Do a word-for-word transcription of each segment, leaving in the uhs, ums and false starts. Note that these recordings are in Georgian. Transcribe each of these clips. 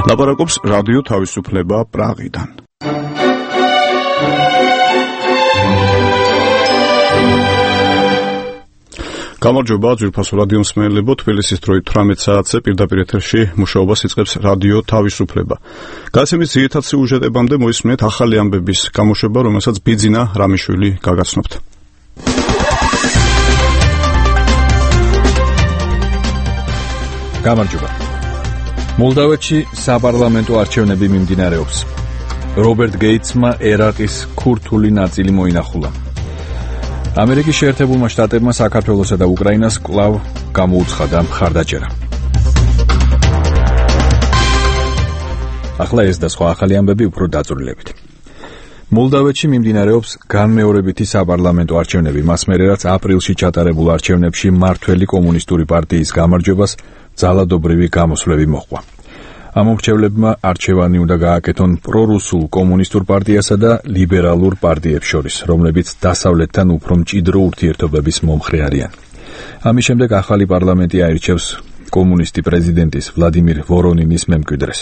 ლაპარაკობს რადიო თავისუფლება პრაღიდან. გამარჯობა, ძვირფასო რადიო მსმენელებო, თბილისის დროით თვრამეტ საათზე პირდაპირ ეთერში მუშაობას იწყებს რადიო თავისუფლება. გადაცემის ძირითად სიუჟეტებამდე მოისმენთ ახალი ამბების გამოშვება, რომელსაც ბიძინა რამიშვილი გაგაცნობთ. გამარჯობა. მოლდავეთში საპარლამენტო არჩევნები მიმდინარეობს. რობერტ გეიტსმა ერაყის ქურთული ნაწილი მოინახულა. ამერიკის შეერთებულმა შტატებმა საქართველოსა და უკრაინას კვლავ გამოუცხადა მხარდაჭერა. ახლა ეს და სხვა ახალი ამბები უფრო დაწვრილებით. მოლდავეთში მიმდინარეობს განმეორებითი საპარლამენტო არჩევნები, მას მერე რაც აპრილში ჩატარებულ არჩევნებში მმართველი კომუნისტური პარტიის გამარჯვებას ძალადობრივი გამოსვლები მოჰყვა. ამ მომრჩევლებმა არჩევანი უნდა გააკეთონ პრორუსულ კომუნისტურ პარტიასა და ლიბერალურ პარტიებს შორის, რომლებიც დასავლეთთან უფრო მჭიდრო ურთიერთობების მომხრე არიან. ამის შემდეგ ახალი პარლამენტი აირჩევს კომუნისტი პრეზიდენტის ვლადიმირ ვორონინის მემკვიდრეს.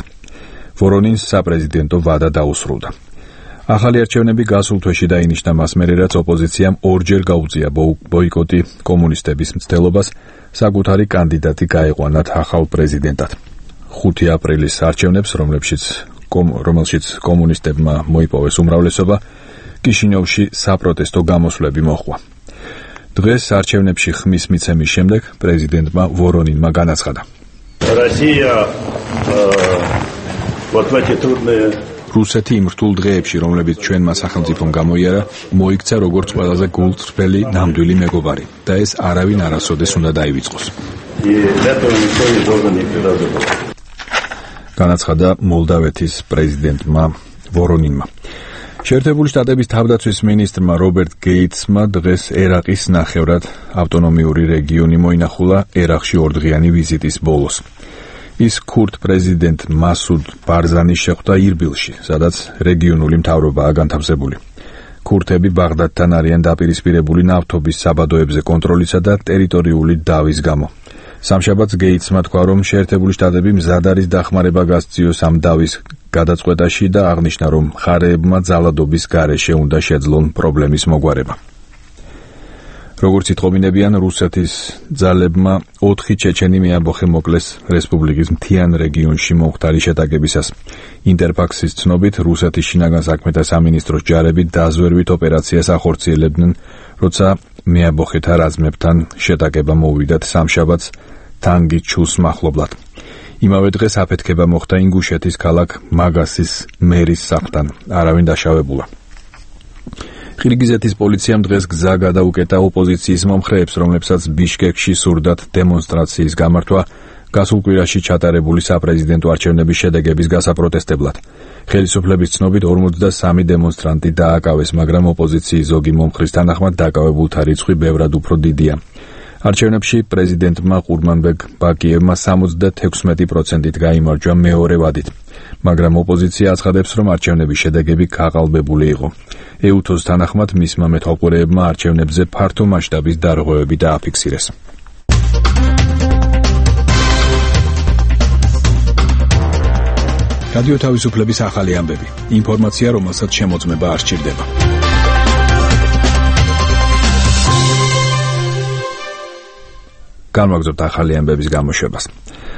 ვორონინს საპრეზიდენტო ვადა დაუსრულდა. ახალი არჩევნები გასულ თვეში დაინიშნა მას მერე, რაც ოპოზიციამ ორჯერ გაუწია ბოიკოტი კომუნისტების მცდელობას საკუთარი კანდიდატი გაეყვანათ ახალ პრეზიდენტად. ხუთი აპრილის არჩევნებს, რომლებშიც რომელშიც კომუნისტებმა მოიპოვეს უმრავლესობა, კიშინიოვში საპროტესტო გამოსვლები მოჰყვა. დღეს არჩევნებში ხმის მიცემის შემდეგ პრეზიდენტმა ვორონინმა განაცხადა: რუსეთი იმ რთულ დღეებში, რომლებიც ჩვენმა სახელმწიფომ გამოიარა, მოიქცა როგორც ყველაზე გულწრფელი ნამდვილი მეგობარი და ეს არავინ არასოდეს უნდა დაივიწყოს. განაცხადა მოლდავეთის პრეზიდენტმა ვორონინმა. შეერთებული შტატების თავდაცვის მინისტრმა რობერტ გეიტსმა დღეს ერაყის ნახევრად ავტონომიური რეგიონი მოინახულა ერაყში ორდღიანი ვიზიტის ბოლოს. ის ქურთ პრეზიდენტ მასუდ ბარზანის შეხვდა ირბილში, სადაც რეგიონული მთავრობაა განთავსებული. ქურთები ბაღდადთან არიან დაპირისპირებული ნავთობის საბადოებზე კონტროლისა და ტერიტორიული დავის გამო. სამშაბათს გეიტსმა თქვა, რომ შეერთებული შტატები მზად არის დახმარება გასწიოს ამ დავის გადაწყვეტაში და აღნიშნა, რომ მხარეებმა ძალადობის გარეშე უნდა შეძლონ პრობლემის მოგვარება. როგორც იტყობინებიან, რუსეთის ძალებმა ოთხი ჩეჩენი მეამბოხე მოკლეს რესპუბლიკის მთიან რეგიონში მომხდარი შეტაკებისას. ინტერფაქსის ცნობით, რუსეთის შინაგან საქმეთა სამინისტროს ჯარები დაზვერვით ოპერაციას ახორციელებდნენ, როცა მეამბოხეთა რაზმებთან შეტაკება მოვიდათ სამშაბათს თანგიჩუს მახლობლად. იმავე დღეს აფეთქება მოხდა ინგუშეთის ქალაქ მაგასის მერის სახლთან. არავინ დაშავებულა. ყირგიზეთის პოლიციამ დღეს გზა გადაუკეტა ოპოზიციის მომხრეებს, რომლებსაც ბიშკეკში სურდათ დემონსტრაციის გამართვა გასულ კვირაში ჩატარებული საპრეზიდენტო არჩევნების შედეგების გასაპროტესტებლად. ხელისუფლების ცნობით ორმოცდასამი დემონსტრანტი დააკავეს, მაგრამ ოპოზიციის ზოგი მომხრის თანახმად დაკავებულთა რიცხვი ბევრად უფრო დიდია. არჩევნებში პრეზიდენტმა ყურმანბეგ ბაკიევმა სამოცდათექვსმეტი პროცენტით გაიმარჯვა მეორე ვადით, მაგრამ ოპოზიცია აცხადებს, რომ არჩევნების შედეგები გაყალბებული იყო. ეუთოს თანახმად მისმა მეთვალყურეებმა არჩევნებზე ფართო მასშტაბის დარღვევები დააფიქსირეს. რადიო თავისუფლების ახალი ამბები. ინფორმაცია, რომელსაც შემოწმება არ სჭირდება. განვაგრძობთ ახალი ამბების გამოშვებას.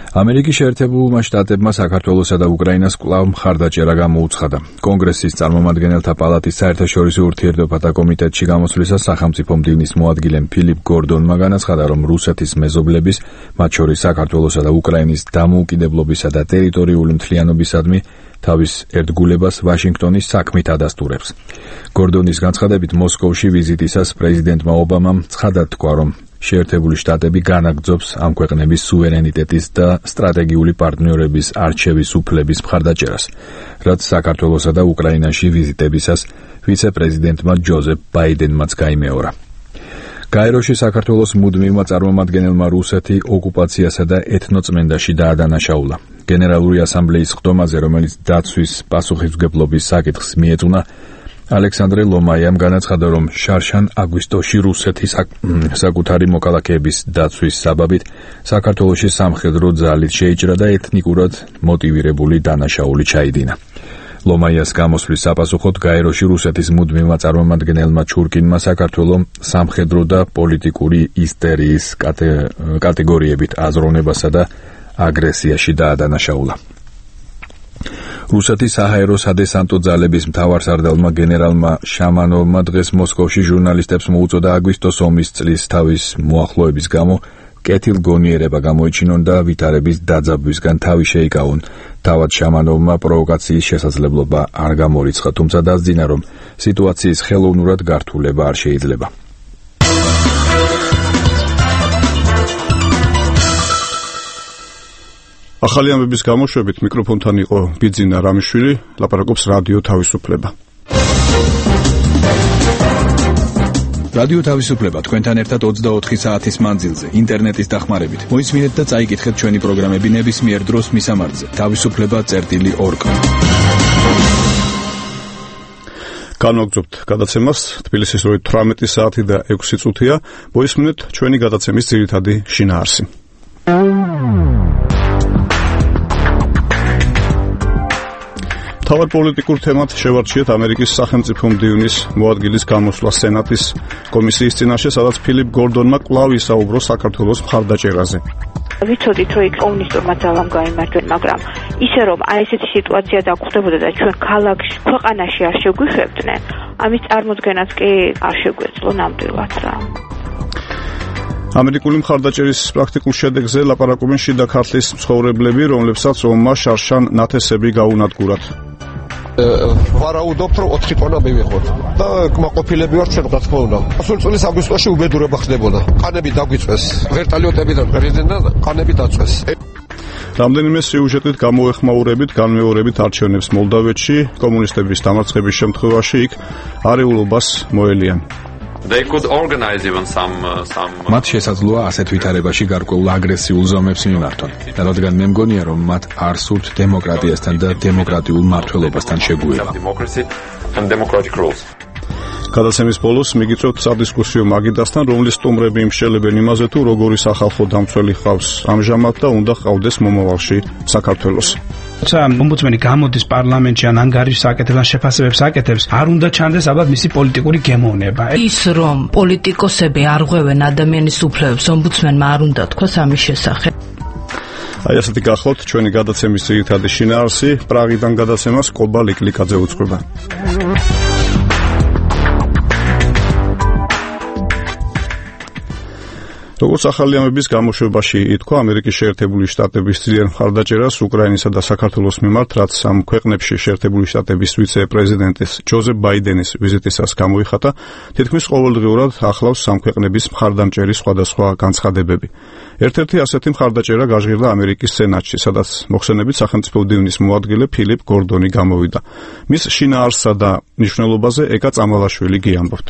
ამერიკის შეერთებულმა შტატებმა საქართველოსა და უკრაინას კვლავ მხარდაჭერა გამოუცხადა. კონგრესის წარმომადგენელთა პალატის საერთაშორისო ურთიერთობათა კომიტეტში გამოსვლისას სახელმწიფო მდივნის მოადგილემ ფილიპ გორდონმა განაცხადა, რომ რუსეთის მეზობლების, მათ შორის საქართველოსა და უკრაინის დამოუკიდებლობისა და ტერიტორიული მთლიანობისადმი თავის ერთგულებას ვაშინგტონის საქმით ადასტურებს. გორდონის განცხადებით, მოსკოვში ვიზიტისას პრეზიდენტმა ობამამ ცხადად თქვა, რომ შეერთებული შტატები განაგრძობს ამ ქვეყნების სუვერენიტეტის და სტრატეგიული პარტნიორების არჩევის უფლების მხარდაჭერას, რაც საქართველოსა და უკრაინაში ვიზიტებისას ვიცე-პრეზიდენტმა ჯოზეფ ბაიდენმაც გაიმეორა. გაეროში საქართველოს მუდმივმა წარმომადგენელმა რუსეთი ოკუპაციასა და ეთნოწმენდაში დაადანაშაულა. გენერალური ასამბლეის ხდომაზე, რომელიც დაცვის პასუხისმგებლობის საკითხს მიეწუნა, ალექსანდრე ლომაიამ განაცხადა, რომ შარშან აგვისტოში რუსეთის საკუთარი მოქალაქეების დაცვის საბაბით საქართველოში სამხედრო ძალით შეიჭრა და ეთნიკურად მოტივირებული დანაშაული ჩაიდინა. ლომაიას გამოსვლის საპასუხოდ გაეროში რუსეთის მუდმივმა წარმომადგენელმა ჩურკინმა საქართველოს სამხედრო და პოლიტიკური ისტერიის კატეგორიებით აზროვნებასა და აგრესიაში დაადანაშაულა. რუსეთის საჰაერო სადესანტო ძალების მთავარსარდალმა გენერალმა შამანოვმა დღეს მოსკოვში ჟურნალისტებს მოუწოდა აგვისტოს ომის წლის თავის მოახლოების გამო კეთილგონიერება გამოიჩინონ და ვითარების დაძაბვისგან თავი შეიკავონ. თავად შამანოვმა პროვოკაციის შესაძლებლობა არ გამორიცხა, თუმცა დასძინა, რომ სიტუაციის ხელოვნურად გართულება არ შეიძლება. ახალი ამბების გამოშვებით მიკროფონთან იყო ბიძინა რამიშვილი, ლაპარაკობს რადიო თავისუფლება. რადიო თავისუფლება თქვენთან ერთად ოცდაოთხი საათის მანძილზე, ინტერნეტის დახმარებით. მოისმინეთ და წაიკითხეთ ჩვენი პროგრამები ნებისმიერ დროს მისამართზე. თავისუფლება წერტილი ორგ. განვაგრძობთ გადაცემას. თბილისის როი თვრამეტი საათი და ექვსი წუთია. მოისმინეთ ჩვენი გადაცემის ძირითადი შინაარსი. თავად პოლიტიკურ თემად შევარჩიეთ ამერიკის სახელმწიფო მდივნის მოადგილის გამოსვლა სენატის კომისიის წინაშე, სადაც ფილიპ გორდონმა კვლავ ისაუბრო საქართველოს მხარდაჭერაზე. ვიცოდით, რომ იქ კომუნისტურმა ძალამ გაიმარჯვენ, მაგრამ ისე რომ აი ესეთი სიტუაცია დაგხვდებოდა და ჩვენ ქალაქში, ქვეყანაში არ შეგვიხვებდნენ, ამის წარმოქმნას კი არ შეგვეძლო ნამდვილად რა. ამერიკული მხარდაჭერის პრაქტიკულ შედეგზე ლაპარაკობენ შიდა ქართლის მცხოვრებლები, რომლებსაც ომმა შარშან ნათესები გაუნადგურათ. ვარაუდობთ, რომ ოთხი ტონა მივიღოთ და კმაყოფილები ვართ ჩვენ, რა თქმა უნდა. სულ წლის აგვისტოში უბედურება ხდებოდა. ყანები დაგვიწვეს, ვერტალიოტებიდან პრეზიდენტთან ყანები დაწვეს. რამდენიმე სიუჟეტით გამოეხმაურებით განმეორებით არჩევნებს მოლდავეთში, კომუნისტების დამარცხების შემთხვევაში იქ არეულობას მოელიან. They could organize even some uh, some მათ შესაძლოა ასეთ ვითარებაში გარკვეულ აგრესიულ ზომებს მიმართონ. რადგან მე მგონია, რომ მათ არ სურთ დემოკრატიასთან და დემოკრატიულ მმართველობასთან შეგუება. გადაცემის ბოლოს მიგიწევთ სადისკუსიო მაგიდასთან, რომლის სტუმრები იმშელებენ იმაზე, თუ როგორი სახალხო დამცველი ხავს ამჟამად და უნდა ყავდეს მომავალში საქართველოს. როცა ომბუდსმენი გამოდის პარლამენტში ან ანგარიშს აკეთებს, ან შეფასებებს აკეთებს, არ უნდა ჩანდეს ალბათ მისი პოლიტიკური გემოვნება. ის რომ პოლიტიკოსები არ ღვევენ ადამიანის უფლებებს, ომბუდსმენმა არ უნდა თქვას ამის შესახებ. აი ასეთი გახლავთ ჩვენი გადაცემის ძირითადი შინაარსი. პრაღიდან გადაცემას კობა ლიკლიკაძე უწყება. როგორც ახალი ამბების გამოშვებაში ითქვა, ამერიკის შეერთებული შტატების ძლიერ მხარდაჭერას უკრაინისა და საქართველოს მიმართ, რაც ამ ქვეყნებში შეერთებული შტატების ვიცე-პრეზიდენტის ჯოზეფ ბაიდენის ვიზიტისას გამოიხატა, თითქმის ყოველდღიურად ახლავს ამ ქვეყნების მხარდამჭერის სხვადასხვა განცხადებები. ერთ-ერთი ასეთი მხარდაჭერა გაჟღერდა ამერიკის სენატში, სადაც მოხსენებით სახელმწიფო მდივნის მოადგილე ფილიპ გორდონი გამოვიდა. მის შინაარსსა და მნიშვნელობაზე ეკა წამალაშვილი გიამბობთ.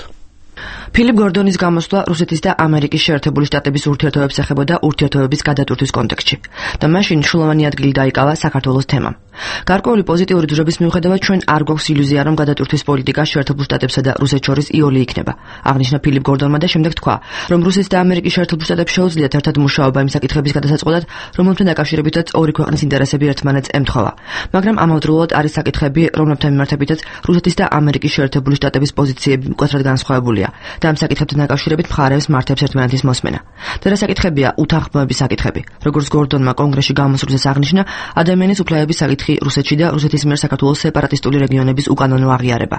ფილიპ გორდონის გამოსვლა რუსეთის და ამერიკის შეერთებული შტატების ურთიერთობებს ეხებოდა ურთიერთობების გადატვირთვის კონტექსტში და მაშინ მნიშვნელოვანი ადგილი დაიკავა საქართველოს თემამ. გარკვეული პოზიტიური ძვრების მიუხედავად ჩვენ არ გვაქვს ილუზია, რომ გადატვირთვის პოლიტიკა შეერთებულ შტატებსა და რუსეთს შორის იოლი იქნება. აღნიშნა ფილიპ გორდონმა და შემდეგ თქვა, რომ რუსეთის და ამერიკის შეერთებულ შტატებს შეუძლიათ ერთად მუშაობა იმ საკითხების გადასაწყობად, რომელთთან დაკავშირებითაც ორი ქვეყნის ინტერესები ერთმანეთს ემთხვევა. მაგრამ ამავდროულად არის საკითხები, რომლებთან მიმართებითაც რუსეთის და ამერიკის შეერთებული შტატების პოზიციები მკვეთრად განსხვავებულია და ამ საკითხებთან დაკავშირებით მხარეებს მართებს ერთმანეთის მოსმენა. და რა საკითხებია უთანხმოების საკითხები. როგორც გორდონმა კონგრესში გამოსვლისას აღნიშნა, ადამიანის უფლებების საკითხი რუსეთში და რუსეთის მიერ საქართველოს სეპარატისტული რეგიონების უკანონო აღიარება.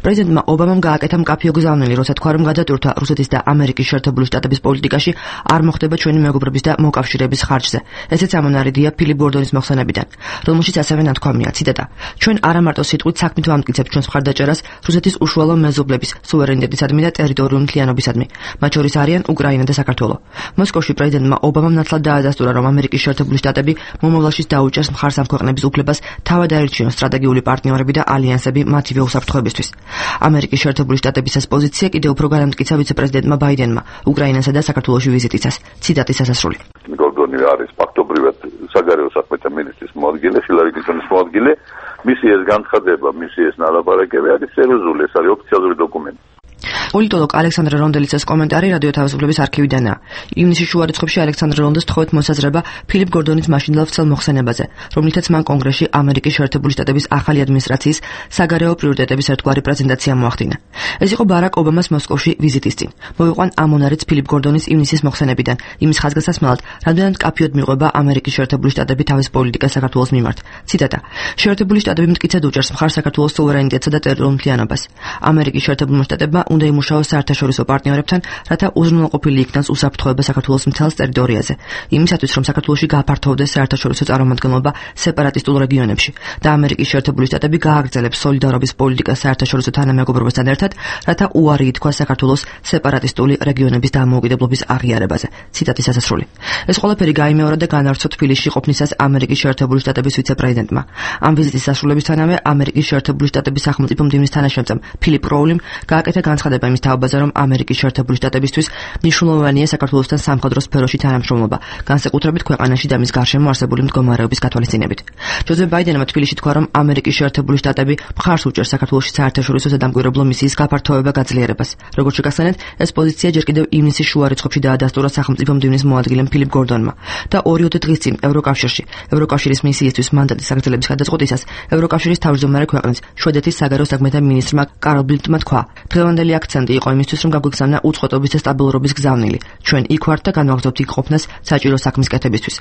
პრეზიდენტმა ობამამ გააკეთა მკაფიო გზავნილი, როცა თქვა, რომ გადატვირთვა რუსეთის და ამერიკის შეერთებული შტატების პოლიტიკაში არ მოხდება ჩვენი მეგობრობის და მოკავშირეების ხარჯზე. ესეც ამონარიდია ფილიპ გორდონის მოხსენებიდან, რომელშიც ასევე ნათქვამია, ციტატა: ჩვენ არა მარტო სიტყვით საქმით ვამტკიცებთ ჩვენს მხარდაჭერას რუსეთის უშუალო მეზობლების სუვერენიტეტისადმი და ტერიტორიული მთლიანობისადმი, მათ შორის არიან უკრაინა და საქართველო. მოსკოვში პრეზიდენტმა ობამამ ნათლად დაადასტურა, რომ ამერიკის შეერთებული შტატები მომავალში დაუჭერს მხარს ამ ქვეყნების უფლებას თავად აირჩიონ სტრატეგიული პარტნიორები და ალიანსები მათივე უსაფრთხოებისთვის. ამერიკის შეერთებული შტატების ეს პოზიცია კიდევ უფრო განამტკიცა ვიცე-პრეზიდენტმა ბაიდენმა უკრაინასა და საქართველოში ვიზიტისას. ციტატის ასასრული. მოგონი არის ფაქტობრივად საგარეო საქმეთა მინისტრის მოადგილე, ჰილარი კლინტონის მოადგილე. მისი ეს განცხადება, მისი ეს ნალაპარაკები არის სერიოზული, ეს არის ოფიციალური დოკუმენტი. პოლიტოლოგ ალექსანდრე რონდელიცის კომენტარი რადიო თავისუფლების არქივიდანაა. ივნისის შუა რიცხვებში ალექსანდრე რონდელს თხოვეთ მოსაზრება ფილიპ გორდონის მაშინდელ ვრცელ მოხსენებაზე, რომლითაც მან კონგრესში ამერიკის შეერთებული შტატების ახალი ადმინისტრაციის საგარეო პრიორიტეტების ერთგვარი პრეზენტაცია მოახდინა. ეს იყო ბარაკ ობამას მოსკოვში ვიზიტის წინ. მოვიყვან ამონარიც ფილიპ გორდონის ივნისის მოხსენებიდან, იმის ხაზგასასმელად, რამდენად მკაფიოდ მიყვება ამერიკის შეერთებული შტატები თავის პოლიტიკას საქართველოს მიმართ. ციტატა: შეერთებული შტატები მტკიცედ უჭერს მხარს საქართველოს სუვერენიტეტსა და ტერიტორიულთლიანობას. ამერიკის შეერთებულმა შტატებმა უნდა იმუშაოს საერთაშორისო პარტნიორებთან, რათა უზრუნველყოფილი იქნას უსაფრთხოება საქართველოს მთელს ტერიტორიაზე, იმისათვის, რომ საქართველოში გააფართოვდეს საერთაშორისო წარმომადგენლობა სეპარატისტულ რეგიონებში და ამერიკის შეერთებული შტატები გააგრძელებს სოლიდარობის პოლიტიკას საერთაშორისო თანამეგობრობასთან ერთად, რათა უარი ითქვას საქართველოს სეპარატისტული რეგიონების დამოუკიდებლობის აღიარებაზე. ციტატის დასასრული. ეს ყველაფერი გაიმეორა და განავრცო თბილისში ყოფნისას ამერიკის შეერთებული შტატების ვიცე-პრეზიდენტმა. ამ ვიზიტის დასრულებისთანავე ამერიკის შეერთებული შტატების სახელმწიფო მდივნის თანაშემწემ ფილიპ როულიმ გააკეთა განცხადება იმის თაობაზე, რომ ამერიკის შეერთებული შტატებისთვის მნიშვნელოვანია საქართველოსთან სამხედრო სფეროში თანამშრომლობა, განსაკუთრებით ქვეყანაში და მის გარშემო არსებული მდგომარეობის გათვალისწინებით. ჯოზეფ ბაიდენმა თბილისში თქვა, რომ ამერიკის შეერთებული შტატები მხარს უჭერს საქართველოში საერთაშორისო სადამკვირვებლო მისიის გაფართოება გაძლიერებას. როგორც შეგახსენეთ, ეს პოზიცია ჯერ კიდევ ივნისის შუა რიცხვებში დაადასტურა სახელმწიფო მდივნის მოადგილემ ფილიპ გორდონმა და ორი-ოთხ დღის წინ ევროკავშირში ევროკავშირის მისიისთვის მანდატის აგრძელების გადაწყვეტისას ევროკავშირის თავმჯდომარე ქვეყნის შვედეთის საგარეო საქმეთა მინისტრმა კარლ ბილდმა თქვა: დღევანდელი აქცენტი იყო იმისთვის, რომ გაგვიგზავნა უწყვეტობის და სტაბილურობის გზავნილი. ჩვენ იქ ვართ და განვაგრძობთ იქ ყოფნას საჭირო საქმის კეთებისთვის.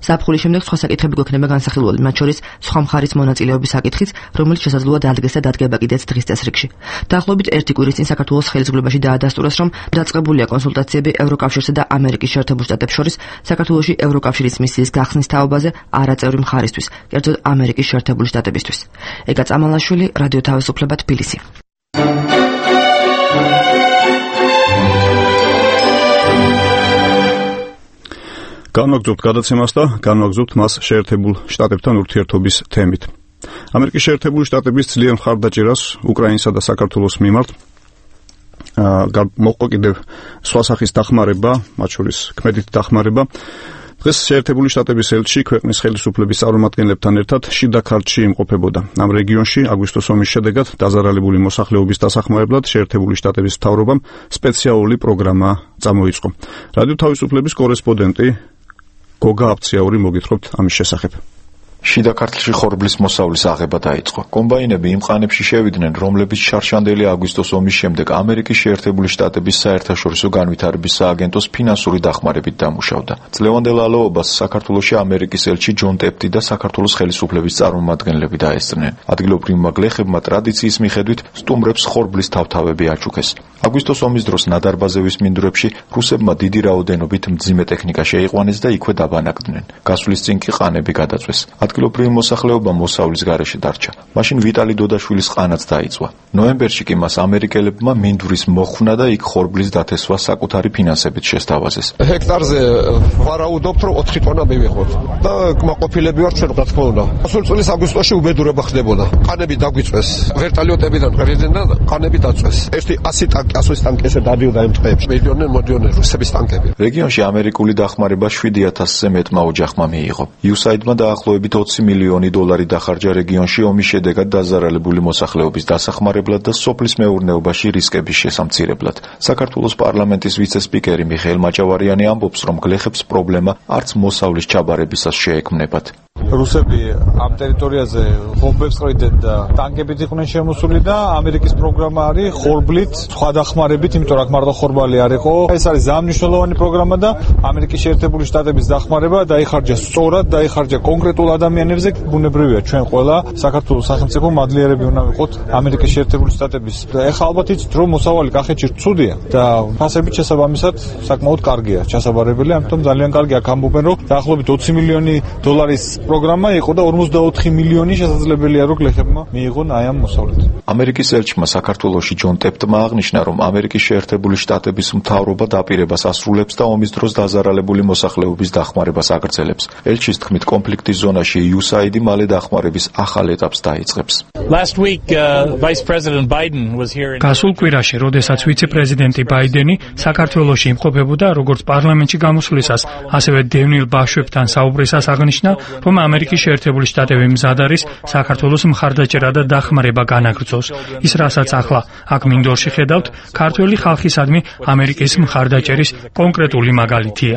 ზაფხულის შემდეგ სხვა საკითხები გვექნება განსახილველი, მათ შორის სხვა მხარის მონაწილეობის საკითხიც, რომელიც შესაძლოა დადგეს და დადგება კიდეც დღის წესრიგში. დაახლოებით ერთი კვირის წინ საქართველოს ხელისუფლებაში დაადასტურეს, რომ დაწყებულია კონსულტაციები ევროკავშირსა და ამერიკის შეერთებულ შტატებს შორის საქართველოში ევროკავშირის მისიის გახსნის თაობაზე არაწევრი მხარისთვის, კერძოდ ამერიკის შეერთებული შტატებისთვის. ეგა წამალაშვილი, რადიო თავისუფლება, თბილისი. განვაგრძობთ გადაცემას და განვაგრძობთ მას შეერთებულ შტატებთან ურთიერთობის თემით. ამერიკის შეერთებული შტატების ძლიერ მხარდაჭერას უკრაინსა და საქართველოს მიმართ მოყვა კიდევ სხვა სახის დახმარება, მათ შორის ქმედითი დახმარება. დღეს შეერთებული შტატების ელჩი ქვეყნის ხელისუფლების წარმომადგენლებთან ერთად შიდა ქართლში იმყოფებოდა. ამ რეგიონში აგვისტოს ომის შედეგად დაზარალებული მოსახლეობის დასახმარებლად შეერთებული შტატების მთავრობამ სპეციალური პროგრამა წამოიწყო. რადიო თავისუფლების კორესპონდენტი გოგა აფციაური მოგითხრობთ ამის შესახებ. შიდა ქართლში ხორბლის მოსავლის აღება დაიწყო. კომბაინები იმ ყანებში შევიდნენ, რომლებიც შარშანდელი აგვისტოს ომის შემდეგ ამერიკის შეერთებული შტატების საერთაშორისო განვითარების სააგენტოს ფინანსური დახმარებით დამუშავდა. წლევანდელ ალაობას საქართველოში ამერიკის ელჩი ჯონ ტეპტი და საქართველოს ხელისუფლების წარმომადგენლები დაესწრნენ. ადგილობრივმა გლეხებმა ტრადიციის მიხედვით სტუმრებს ხორბლის თავთავები აჩუქეს. აგვისტოს ომის დროს ნადარბაზევის მინდვრებში რუსებმა დიდი რაოდენობით მძიმე ტექნიკა შეიყვანეს და იქვე დაბანაკდნენ. გასვლის წინ კი ყანები გადაწვეს. ადგილობრივი მოსახლეობა მოსავლის გარეშე დარჩა. მაშინ ვიტალი დოდაშვილის ყანაც დაიწვა. ნოემბერში კი მას ამერიკელებმა მინდვრის მოხვნა და იქ ხორბლის დათესვა საკუთარი ფინანსებით შესთავაზეს. ჰექტარზე ვარაუდობთ, რომ ოთხი ტონა მივიღოთ და კმაყოფილები ვართ ჩვენ, რა თქმა უნდა. სულ წლის აგვისტოში უბედურება ხდებოდა. ყანები დაგვიწვეს. ვერტალიოტებიდან პრეზიდენტთან ყანები დაწვეს. ერთი ასი ტანკი, ასის ტანკი ესე დადიოდა იმ ტყეებში. მილიონერ მოდიონერ რუსების ტანკები. რეგიონში ამერიკული დახმარება შვიდი ათასზე მეტმა ოჯახმა მიიღო. იუსაიდმა დაახლოებით ოცი მილიონი დოლარი დახარჯა რეგიონში ომის შედეგად დაზარალებული მოსახლეობის დასახმარებლად და სოფლის მეურნეობაში რისკების შესამცირებლად. საქართველოს პარლამენტის ვიცე-სპიკერი მიხეილ მაჭავარიანი ამბობს, რომ გლეხებს პრობლემა არც მოსავლის ჩაბარებისას შეექმნებათ. რუსები ამ ტერიტორიაზე ბომბებს ყრიდნენ და ტანკებით იყვნენ შემოსული და ამერიკის პროგრამა არის ხორბლით, სხვა დახმარებით, იმიტომ რომ მარტო ხორბალი არ იყო. ეს არის ზამნიშნულოვანი პროგრამა და ამერიკის შეერთებული შტატების დახმარება დაიხარჯა სწორად, დაიხარჯა კონკრეტულ ადამიანებზე. ბუნებრივია, ჩვენ ყველა საქართველოს სახელმწიფო მადლიერები უნდა ვიყოთ ამერიკის შეერთებული შტატების. ეხლა ალბათ იცით, რომ მოსავალი კახეთში ცუდია და ფასებით შესაბამისად საკმაოდ კარგია, ჩასაბარებელი, ამიტომ ძალიან კარგი აქ ამბობენ, რომ დაახლოებით ოცი მილიონი დოლარის პროგრამა იყო და ორმოცდაოთხი მილიონი შესაძლებელია რომ გლეხებმა მიიღონ აი ამ მოსავლით. ამერიკის ელჩმა საქართველოში ჯონ ტეპტმა აღნიშნა, რომ ამერიკის შეერთებული შტატების მთავრობა დაპირებას ასრულებს და ომის დროს დაზარალებული მოსახლეობის დახმარებას აგრძელებს. ელჩის თქმით, კონფლიქტის ზონაში იუ ეს έი აი დი მალე დახმარების ახალ ეტაპს დაიწყებს. გასულ კვირაში, როდესაც ვიცე-პრეზიდენტი ბაიდენი საქართველოში იმყოფებოდა, როგორც პარლამენტში გამოსვლისას, ასევე დევნილ ბავშვებთან საუბრისას აღნიშნა, რომ ამერიკის შეერთებული შტატები მზად არის საქართველოს მხარდაჭერა და დახმარება განაგრძოს. ის, რასაც ახლა აქ მინდორში ხედავთ, ქართველი ხალხისადმი ამერიკის მხარდაჭერის კონკრეტული მაგალითია.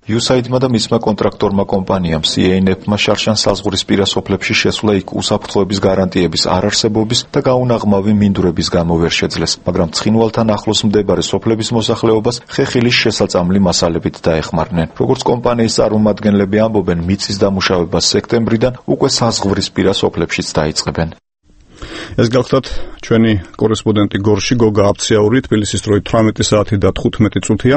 იუ ეს έი აი დი-მა და მისმა კონტრაქტორმა კომპანიამ სი ეი ენ ეფ-მა შარშან საზღვრისპირა სოფლებში შესვლა იქ უსაფრთხოების გარანტიების არარსებობის და გაუნაღმავი მინდვრების გამო ვერ შეძლეს, მაგრამ ცხინვალთან ახლოს მდებარე სოფლების მოსახლეობას ხეხილის შესაწამლი მასალებით დაეხმარნენ. როგორც კომპანიის წარმომადგენლები ამბობენ, მიწის დამუშავება სექტემბრიდან უკვე საზღვრისპირა სოფლებშიც დაიწყებენ. ეს გახლავთ ჩვენი კორესპონდენტი გორში გოგა აფციაური, თბილისის დროით თვრამეტი საათი და თხუთმეტი წუთია.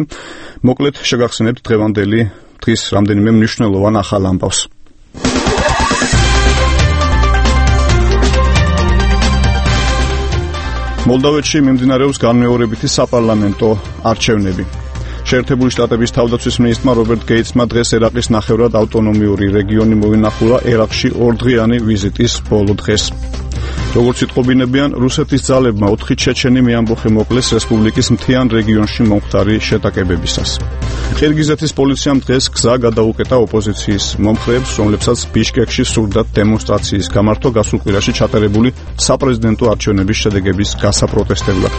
მოკლედ შეგახსენებთ დღევანდელი დღის რამდენიმე მნიშვნელოვან ახალ ამბავს. მოლდოვეთში მიმდინარეობს განმეორებითი საპარლამენტო არჩევნები. შეერთებული შტატების თავდაცვის მინისტრმა რობერტ გეიტსმა დღეს ერაყის ნახევრად ავტონომიური რეგიონი მოინახულა ერაყში ორდღიანი ვიზიტის ბოლო დღეს. როგორც იტყობინებიან, რუსეთის ძალებმა ოთხი ჩეჩენი მეამბოხე მოკლეს რესპუბლიკის მთიან რეგიონში მომხდარი შეტაკებებისას. ყირგიზეთის პოლიციამ დღეს გზა გადაუკეტა ოპოზიციის მომხრეებს, რომლებსაც ბიშკეკში სურდათ დემონსტრაციის გამართვა გასულ კვირაში ჩატარებული საპრეზიდენტო არჩევნების შედეგების გასაპროტესტებლად.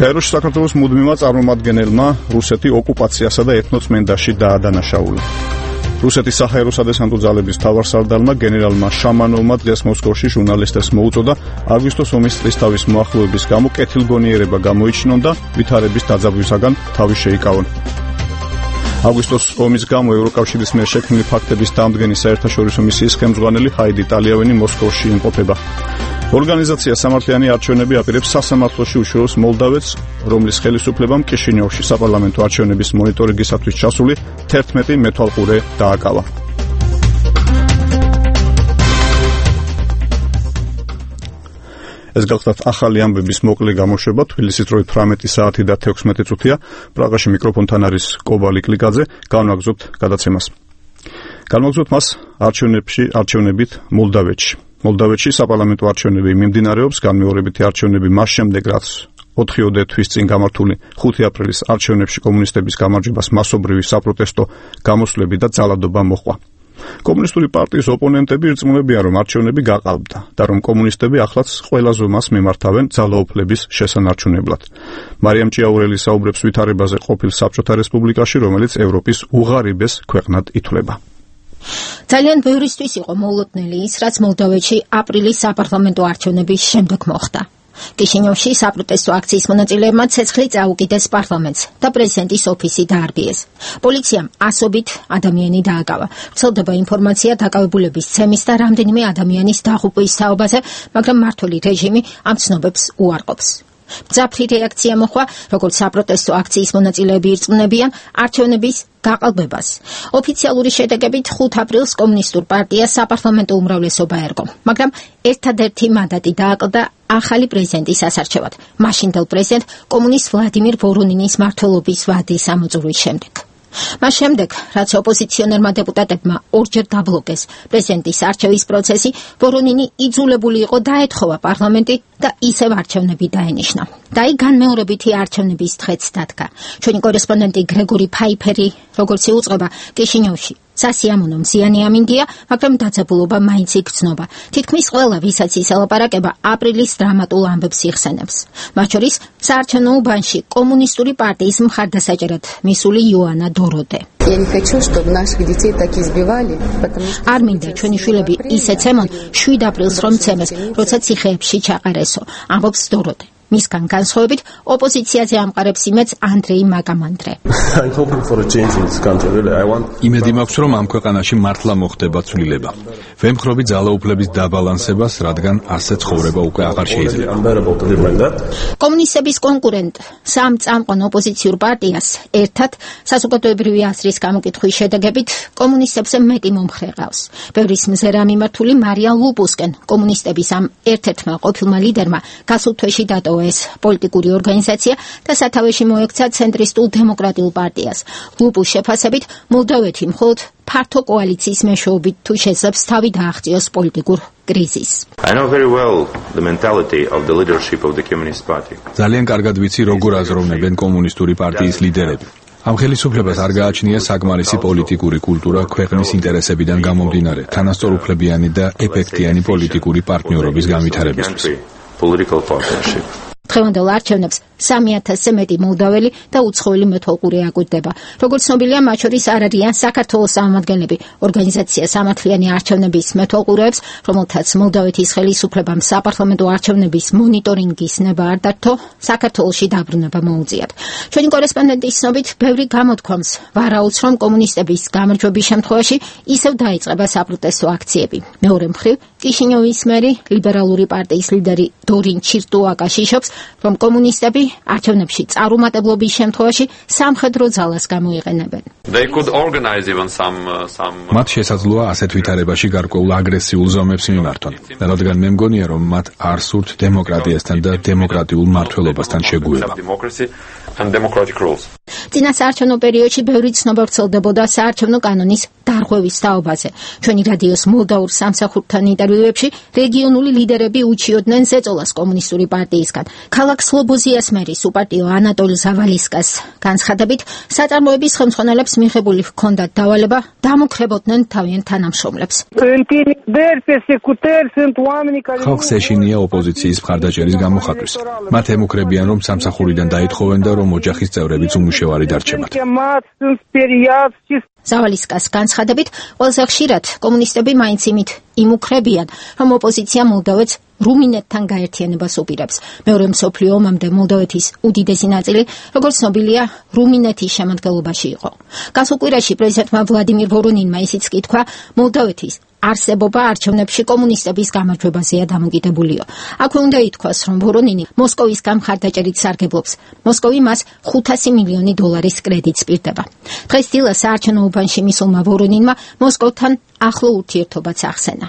გაეროში საქართველოს მუდმივმა წარმომადგენელმა რუსეთი ოკუპაციასა და ეთნოწმენდაში დაადანაშაულა. რუსეთის საჰაერო სადესანტო ძალების მთავარსარდალმა გენერალმა შამანოვმა დღეს მოსკოვში ჟურნალისტებს მოუწოდა აგვისტოს ომის წლისთავის მოახლოების გამო კეთილგონიერება გამოიჩინონ და ვითარების დაძაბვისაგან თავი შეიკავონ. აგვისტოს ომის გამო ევროკავშირის მიერ შექმნილი ფაქტების დამდგენი საერთაშორისო მისიის ხელმძღვანელი ჰაიდი ტალიავენი მოსკოვში იმყოფება. ორგანიზაცია სამართლიანი არჩევნები აპირებს სასამართლოში უშუალოს მოლდავეთს, რომლის ხელისუფლებამ კიშინიოვში საპარლამენტო არჩევნების მონიტორინგისათვის ჩასული თერთმეტი მეთვალყურე დააკავა. ეს გახლავთ ახალი ამბების მოკლე გამოშვება. თბილისის დროით თვრამეტი საათი და თექვსმეტი წუთია. პრაღაში მიკროფონთან არის კობალი კლიკაძე. განვაგრძობთ გადაცემას. განვაგრძობთ მას არჩევნებში არჩევნებით მოლდავეთში. მოლდავეთში საპარლამენტო არჩევნები მიმდინარეობს. განმეორებითი არჩევნები მას შემდეგ, რაც ოთხიოდე თვის წინ გამართული ხუთი აპრილის არჩევნებში კომუნისტების გამარჯვებას მასობრივი საპროტესტო გამოსვლები და ძალადობა მოჰყვა. კომუნისტური პარტიის ოპონენტები ირწმუნებიან, რომ არჩევნები გაყალბდა და რომ კომუნისტები ახლაც ყველა ზომას მიმართავენ ძალაუფლების შესანარჩუნებლად. მარიამ ჭიაურელი საუბრებს ვითარებაზე ყოფილ საბჭოთა რესპუბლიკაში, რომელიც ევროპის უღარიბეს ქვეყნად ითვლება. ძალიან ბევრისთვის იყო მოულოდნელი ის, რაც მოლდოვეთში აპრილის საპარლამენტო არჩევნების შემდეგ მოხდა. კიშინიოვში საპროტესტო აქციის მონაწილეებმა ცეცხლი წაუკიდეს პარლამენტს და პრეზიდენტის ოფისი დაარბიეს. პოლიციამ ასობით ადამიანი დააკავა. ვრცელდება ინფორმაცია დაკავებულების ცემის და რამდენიმე ადამიანის დაღუპვის თაობაზე, მაგრამ მმართველი რეჟიმი ამ ცნობებს უარყოფს. მძაფრი რეაქცია მოხდა, როგორც საპროტესტო აქციის მონაწილეები ირწმუნებიან არჩევნების გაყალბებას. ოფიციალური შედეგებით ხუთ აპრილს კომუნისტურ პარტიას საპარლამენტო უმრავლესობა ერგო, მაგრამ ერთადერთი მანდატი დააკლდა ახალი პრეზიდენტის ასარჩევად, მაშინდელ პრეზიდენტ კომუნისტ ვლადიმირ ვორონინის მმართველობის ვადის ამოწურვის შემდეგ. მას შემდეგ, რაც ოპოზიციონერმა დეპუტატებმა ორჯერ დაბლოკეს პრეზიდენტის არჩევის პროცესი, ვორონინი იძულებული იყო დაეთხოვა პარლამენტი და ისევ არჩევნები დაენიშნა. და აი განმეორებითი არჩევნების დღეც დადგა. ჩვენი კორესპონდენტი გრეგორი ფაიფერი, როგორც იუწყება, კიშინიოვში სასიამოვნო მზიანი ამინდია, მაგრამ დაძაბულობა მაინც იგრძნობა. თითქმის ყველა, ვისაც ის ელაპარაკება, აპრილის დრამატულ ამბებს იხსენებს. მათ შორის საარჩევნო უბანში კომუნისტური პარტიის მხარდასაჭერად მისული იოანა დოროდე. არ მინდა ჩვენი შვილები ისე ცემონ შვიდ აპრილს რომ ცემეს, როცა ციხეებში ჩაყარესო, ამბობს დოროდე. მისგან განსხვავებით ოპოზიციაზე ამყარებს იმედს ანდრეი მაგამანდრე. იმედი მაქვს, რომ ამ ქვეყანაში მართლა მოხდება ცვლილება. ვემხრობი ძალაუფლების დაბალანსებას, რადგან ასე ცხოვრება უკვე აღარ შეიძლება. კომუნისტების კონკურენტ სამ წამყვან ოპოზიციურ პარტიას ერთად საზოგადოებრივი აზრის გამოკითხვის შედეგებით კომუნისტებზე მეტი მომხრე ყავს. ბევრის მზერა მიმართული მარია ლუპუსკენ კომუნისტების ამ ერთ-ერთმა ყოფილმა ლიდერმა გასულ თვეში დატოვა ეს პოლიტიკური ორგანიზაცია და სათავეში მოექცა ცენტრისტულ დემოკრატიულ პარტიას. ლუპუს შეფასებით მოლდოვეთი მხოლოდ ფართო კოალიციის მეშვეობით თუ შეძლებს თავი დააღწიოს პოლიტიკურ კრიზისს. I know very well the mentality of the leadership of the Communist Party. ძალიან კარგად ვიცი, როგორ აზროვნებენ კომუნისტური პარტიის ლიდერები. ამ ხელისუფლებას არ გააჩნია საკმარისი პოლიტიკური კულტურა ქვეყნის ინტერესებიდან გამომდინარე, თანასწორუფლებიანი და ეფექტიანი პოლიტიკური პარტნიორობის განვითარებისთვის. დღევანდელ არჩევნებს სამი ათასზე მეტი მოლდაველი და უცხოელი მეთვალყური აკვირდება. როგორც ცნობილია, მათ შორის არ არიან საქართველოს წარმომადგენლები. ორგანიზაცია სამართლიანი არჩევნების მეთვალყურეებს, რომელთაც მოლდავეთის ხელისუფლებამ საპარლამენტო არჩევნების მონიტორინგის ნება არ დართო, საქართველოში დაბრუნება მოუწიათ. ჩვენი კორესპონდენტის ცნობით, ბევრი გამოთქვამს ვარაუდს, რომ კომუნისტების გამარჯვების შემთხვევაში ისევ დაიწყება საპროტესტო აქციები. მეორე მხრივ, კიშინიოვის მერი, ლიბერალური პარტიის ლიდერი დორინ ჩირტუაკა შიშობს, რომ კომუნისტები არჩევნებში წარუმატებლობის შემთხვევაში სამხედრო ძალას გამოიყენებენ. მათ შესაძლოა ასეთ ვითარებაში გარკვეულ აგრესიულ ზომებს მიმართონ, რადგან მე მგონია, რომ მათ არ სურთ დემოკრატიასთან და დემოკრატიულ მმართველობასთან შეგუება. წინა საარჩევნო პერიოდში ბევრი ცნობა ვრცელდებოდა საარჩევნო კანონის დარღვევის თაობაზე. ჩვენი რადიოს მოლდაურ სამსახურთან ინტერვიუებში რეგიონული ლიდერები უჩიოდნენ ზეწოლას კომუნისტური პარტიისგან. ქალაქ სლობოზიას მერის უპარტიო ანატოლ ზავალისკას განცხადებით, საწარმოების ხელმძღვანელებს მიღებული ჰქონდათ დავალება დამუქრებოდნენ თავიანთ თანამშრომლებს. ხალხს ეშინია ოპოზიციის მხარდაჭერის გამოხატვის. მათ ემუქრებიან, რომ სამსახურიდან დაითხოვენ და რომ ოჯახის წევრებიც უმუშევარი დარჩებათ. ზავალისკას განცხადებით, ყველაზე ხშირად კომუნისტები მაინც იმით იმუქრებიან, რომ ოპოზიცია მოლდოვეთს რუმინეთთან გაერთიანებას უპირებს. მეორე მსოფლიო ომამდე მოლდოვეთის უდიდესი ნაწილი, როგორც ცნობილია, რუმინეთის შემადგენლობაში იყო. გასულ კვირაში პრეზიდენტმა ვლადიმირ ვორონინმა ისიც კი თქვა, მოლდოვეთის არსებობა არჩევნებში კომუნისტების გამარჯვებაზეა დამოკიდებულიო. აქვე უნდა ითქვას, რომ ვორონინი მოსკოვისგან მხარდაჭერით სარგებლობს. მოსკოვი მას ხუთასი მილიონი დოლარის კრედიტს პირდება. დღეს დილას საარჩევნო უბანში მისულმა ვორონინმა მოსკოვთან ახლო ურთიერთობაც ახსენა.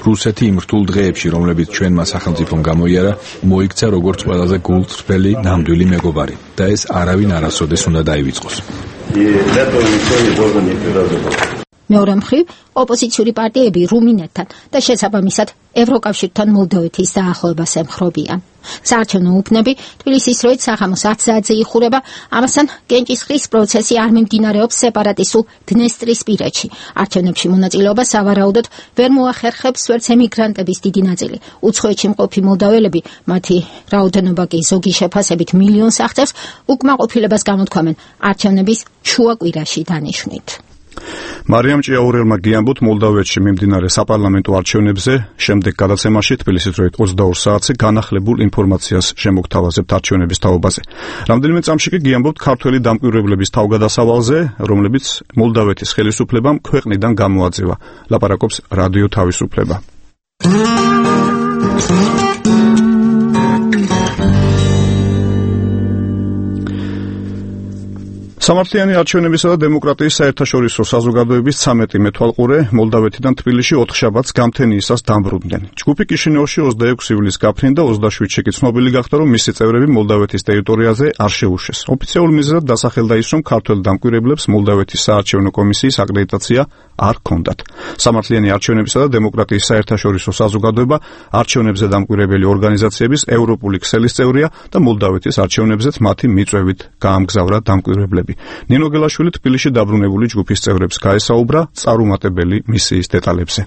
რუსეთი იმ რთულ დღეებში, რომლებიც ჩვენმა სახელმწიფომ გამოიარა, მოიქცა როგორც ყველაზე გულწრფელი ნამდვილი მეგობარი და ეს არავინ არასოდეს უნდა დაივიწყოს. მეორე მხრივ, ოპოზიციური პარტიები რუმინეთთან და შესაბამისად ევროკავშირთან მოლდოვეთის დაახლოებას ემხრობიან. საარჩევნო უბნები თბილისის დროით საღამოს ათ საათზე იხურება, ამასთან გენჭისყრის პროცესი არ მიმდინარეობს სეპარატისტულ დნესტრისპირეთში. არჩევნებში მონაწილეობა სავარაუდოდ ვერ მოახერხებს ვერც ემიგრანტების დიდი ნაწილი. უცხოეთში მყოფი მოლდაველები, მათი რაოდენობა კი ზოგი შეფასებით მილიონს აღწევს, უკმაყოფილებას გამოთქვამენ არჩევნების შუა კვირაში დანიშვნით. მარიამ ჭიაურელმა გიამბოთ მოლდოვეთში მიმდინარე საპარლამენტო არჩევნებზე შემდეგ გადაცემაში თბილისის დროით ოცდაორ საათზე განახლებულ ინფორმაციას შემოგთავაზებთ არჩევნების თაობაზე. რამდენიმე წამში კი გიამბობთ ქართველი დამკვირვებლების თავგადასავალზე, რომლებიც მოლდოვეთის ხელისუფლებამ ქვეყნიდან გამოაძევა. ლაპარაკობს რადიო თავისუფლება. სამართლიანი არჩევნებისა და დემოკრატიის საერთაშორისო საზოგადოების ცამეტი მეთვალყურე მოლდოვეთიდან თბილისში ოთხშაბათს გამთენიისას დამბრუნდნენ. ჯგუფი კიშინიოვში ოცდაექვსი ივლისს გაფრინდა, ოცდაშვიდში კი ცნობილი გახდა, რომ მისი წევრები მოლდოვეთის ტერიტორიაზე არ შეუშვეს. ოფიციალურ მიზეზად დასახელდა ის, რომ ქართველ დამკვირვებლებს მოლდოვეთის საარჩევნო კომისიის აკრედიტაცია არ ჰქონდათ. სამართლიანი არჩევნებისა და დემოკრატიის საერთაშორისო საზოგადოება არჩევნებზე დამკვირვებელი ორგანიზაციების ევროპული ქსელის წევრია და მოლდოვეთის არჩევნებზეც მათი მიწვევით გაამგზავრა დამკვირვებლები. ნინო გელაშვილი თბილისში დაბრუნებული ჯგუფის წევრებს გაესაუბრა წარუმატებელი მისიის დეტალებზე.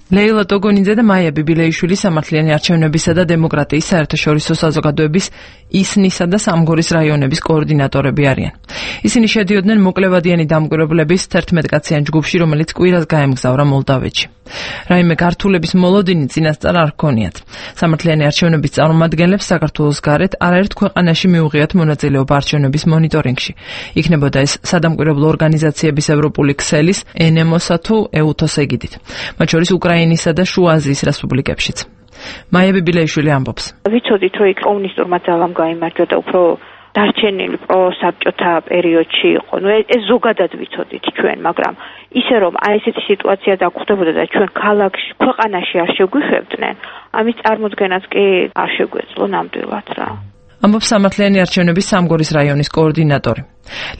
ლეილა ტოგონიძე და მაია ბიბილეიშვილი სამართლიანი არჩევნებისა და დემოკრატიის საერთაშორისო საზოგადოების ისნისა და სამგორის რაიონების კოორდინატორები არიან. ისინი შედიოდნენ მოკლევადიანი დამკვირვებლების თერთმეტ კაციან ჯგუფში, რომელიც კვირას გაემგზავრა მოლდოვეთში. რაიმე გართულების მოლოდინი წინასწარ არ ჰქონიათ. სამართლიანი არჩევნების წარმომადგენლებს საქართველოს გარეთ არაერთ ქვეყანაში მიუღიათ მონაწილეობა არჩევნების მონიტორინგში. იქნებოდა ეს სადამკვირვებლო ორგანიზაციების ევროპული ქსელის, ენემოსა თუ ეუთოს ეგიდით. მათ შორის უკრაინისა და შუა აზიის რესპუბლიკებშიც. მაია ბიბილეიშვილი ამბობს. ვიცოდით, რომ იქ კომუნისტურმა ძალამ გაიმარჯვა და უფრო დარჩენილი პროსაბჭოთა პერიოდში იყო. ნუ ეს ზოგადად ვიცოდით ჩვენ, მაგრამ ისე რომ აი ესეთი სიტუაცია დაგხვდებოდა და ჩვენ ქალაქში, ქვეყანაში არ შეგვიხვევდნენ, ამის წარმოქმნას კი არ შეგვეძლო ნამდვილად რა. ამბობს სამართლიანი არჩევნების სამგორის რაიონის კოორდინატორი.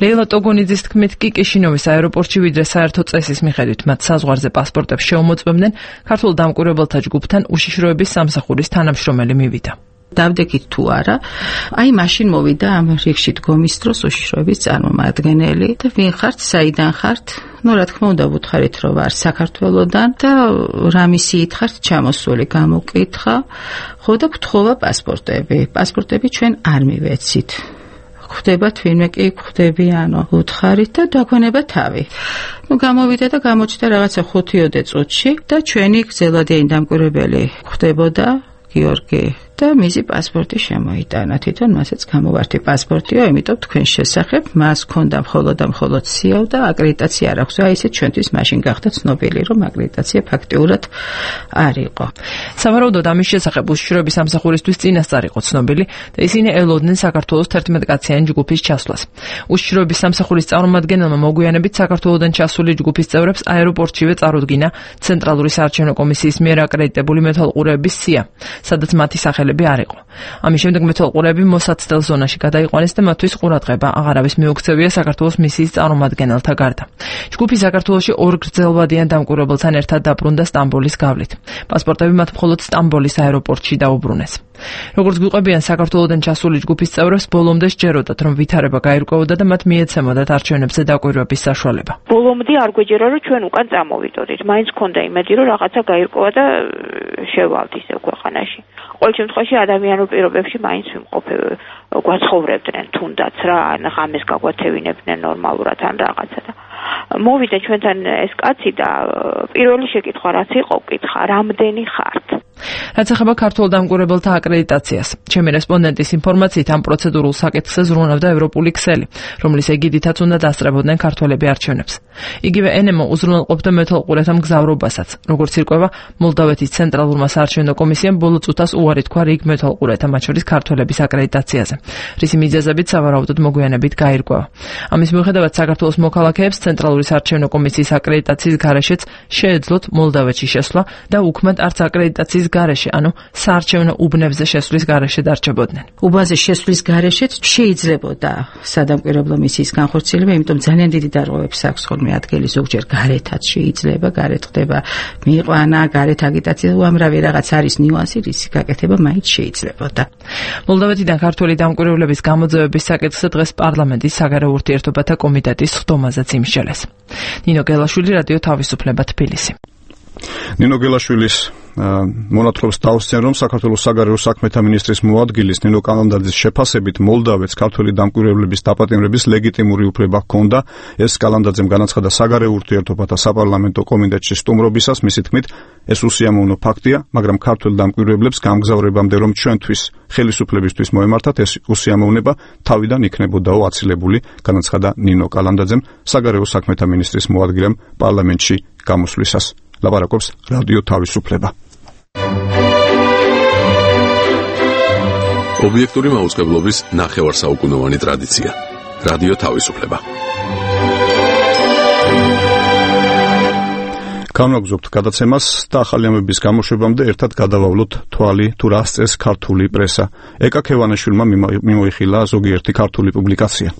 ლეილა ტოგონიძის თქმით კი კიშინოვის აეროპორტში ვიდრე საერთო წესის მიხედვით მათ საზღვარზე პასპორტებს შეუმოწმებდნენ, ქართულ დამკვირვებელთა ჯგუფთან უშიშროების სამსახურის თანამშრომელი მივიდა. დავდექით თუ არა, აი მაშინ მოვიდა ამ რიგში დგომის დროს უშიშროების წარმომადგენელი და ვინ ხართ, საიდან ხართ? ნუ რა თქმა უნდა ვუთხარით რომ ვარ საქართველოდან და რა მისიით ხართ ჩამოსული გამოკითხა, ხო და გთხოვა პასპორტები. პასპორტები ჩვენ არ მივეცით. ხვდება თვინმე კი ხვდებიანო უთხარით და დაგვენება თავი. ნუ გამოვიდა და გამოჩნდა რაღაცა ხუთიოდე წუთში და ჩვენი გზელადიანი დამკვირვებელი ხვდებოდა გიორგი და მისი პასპორტი შემოიტანა. თვითონ მასაც გამოვართი პასპორტიო, იმიტომ თქვენ შესახებ მას ქონდა მხოლოდ და მხოლოდ სიაო და აკრედიტაცია არ აქვს. აი ესე ჩვენთვის მაშინ გახდა ცნობილი, რომ აკრედიტაცია ფაქტიურად არ იყო. სავარაუდოდ ამის შესახებ უშიშროების სამსახურისთვის წინასწარ იყო ცნობილი და ისინი ელოდნენ საქართველოს თერთმეტკაციანი ჯგუფის ჩასვლას. უშიშროების სამსახურის წარმომადგენელმა მოგვიანებით საქართველოსდან ჩასული ჯგუფის წევრებს აეროპორტშივე წარუდგინა ცენტრალური საარჩევნო კომისიის მიერ აკრედიტებული მეთვალყურეების სია, სადაც მათი სახელი არ იყო. ამის შემდეგ მეთვალყურეები მოსაცდელ ზონაში გადაიყვანეს და მათთვის ყურადღება აღარავის მიუქცევია საქართველოს მისიის წარმომადგენელთა გარდა. ჯგუფი საქართველოში ორ გრძელვადიან დამკვირვებელთან ერთად დაბრუნდა სტამბოლის გავლით. პასპორტები მათ მხოლოდ სტამბოლის აეროპორტში დაუბრუნეს. როგორც გვიყვებიან, საქართველოსდან ჩასული ჯგუფის წევრებს ბოლომდე სჯეროდათ, რომ ვითარება გაირკვეოდა და მათ მიეცემოდათ არჩევნებზე დაკვირვების საშუალება. ბოლომდე არ გვეჯერა, რომ ჩვენ უკან წამოვიდოდით. მაინც ქონდა იმედი, რომ რაღაცა გაირკვევა და შევალთ ისე ქვეყანაში. ყოველ შემთხვევაში ადამიანურ პირობებში მაინც ვიმყოფე, გვაცხოვრებდნენ თუნდაც რა, ან ღამეს გაგვათევინებდნენ ნორმალურად ან რაღაცა და მოვიდა ჩვენთან ეს კაცი და პირველი შეკითხვა რაც იყო, კითხა, რამდენი ხართ? რაც ეხება ქართულ დამკვირვებელთა აკრედიტაციას. ჩემი რესპონდენტის ინფორმაციით ამ პროცედურულ საკითხზე ზრუნავდა ევროპული ქსელი, რომლის ეგიდითაც უნდა დასწრებოდნენ ქართველები არჩევნებს. იგივე ენემო უზრუნველყოფდა მეთვალყურეთა მგზავრობასაც. როგორც ირკვევა, მოლდავეთის ცენტრალურმა საარჩევნო კომისიამ ბოლო წუთას უარი თქვა რიგ მეთვალყურეთა, მათ შორის ქართველების აკრედიტაციაზე, რისი მიზეზებით სავარაუდოდ მოგვიანებით გაირკვევა. ამის მიუხედავად საქართველოს მოქალაქეებს ცენტრალური საარჩევნო კომისიის აკრედიტაციის გარეშეც შეეძლოთ მოლდავეთში შესვლა და უქმად არც აკრედიტაციის გარეშე, ანუ საარჩევნო უბნებზე შესვლის გარეშე დარჩებოდნენ. უბანზე შესვლის გარეშეც შეიძლებოდა სადამკვირვებლო მისიის განხორციელება, იმიტომ ძალიან დიდი დარღვევებს აქვს ხოლმე ადგილი, ზოგჯერ გარეთაც შეიძლება, გარეთ ხდება მიიყვანა, გარეთ აგიტაცია, უამრავი რაღაც არის ნიუანსი, რის გაკეთება მაინც შეიძლებოდა. მოლდავეთიდან ქართველი დამკვირვებლების გამოძევების საკითხზე დღეს პარლამენტის საგარეო ურთიერთობათა კომიტეტის ხდომაზეც იმსჯელეს. ნინო გელაშვილი, რადიო თავისუფლება, თბილისი. ნინო გელაშვილის მონათხრობს დაუსწრენ, რომ საქართველოს საგარეო საქმეთა მინისტრის მოადგილის ნინო კალანდაძის შეფასებით მოლდავეთს ქართველი დამკვირვებლების დაპატიმრების ლეგიტიმური უფლება ჰქონდა. ეს კალანდაძემ განაცხადა საგარეო ურთიერთობათა საპარლამენტო კომიტეტში სტუმრობისას, მისი თქმით, ეს უსიამოვნო ფაქტია, მაგრამ ქართველ დამკვირვებლებს გამგზავრებამდე რომ ჩვენთვის ხელისუფლებისთვის მოემართათ, ეს უსიამოვნება თავიდან იქნებოდაო აცილებული, განაცხადა ნინო კალანდაძემ საგარეო საქმეთა მინისტრის მოადგილემ პარლამენტში გამოსვლისას. ლაპარაკობს რადიო თავისუფლება. ობიექტური მაუწყებლობის ნახევარსაუკუნოვანი ტრადიცია. რადიო თავისუფლება. განვაგზავნებთ გადაცემას და ახალი ამბების გამოშვებამდე ერთად გადავავლოთ თვალი თუ რა სწეს ქართული პრესა. ეკა ქევანაშვილმა მიმოიხილა ზოგიერთი ქართული პუბლიკაცია.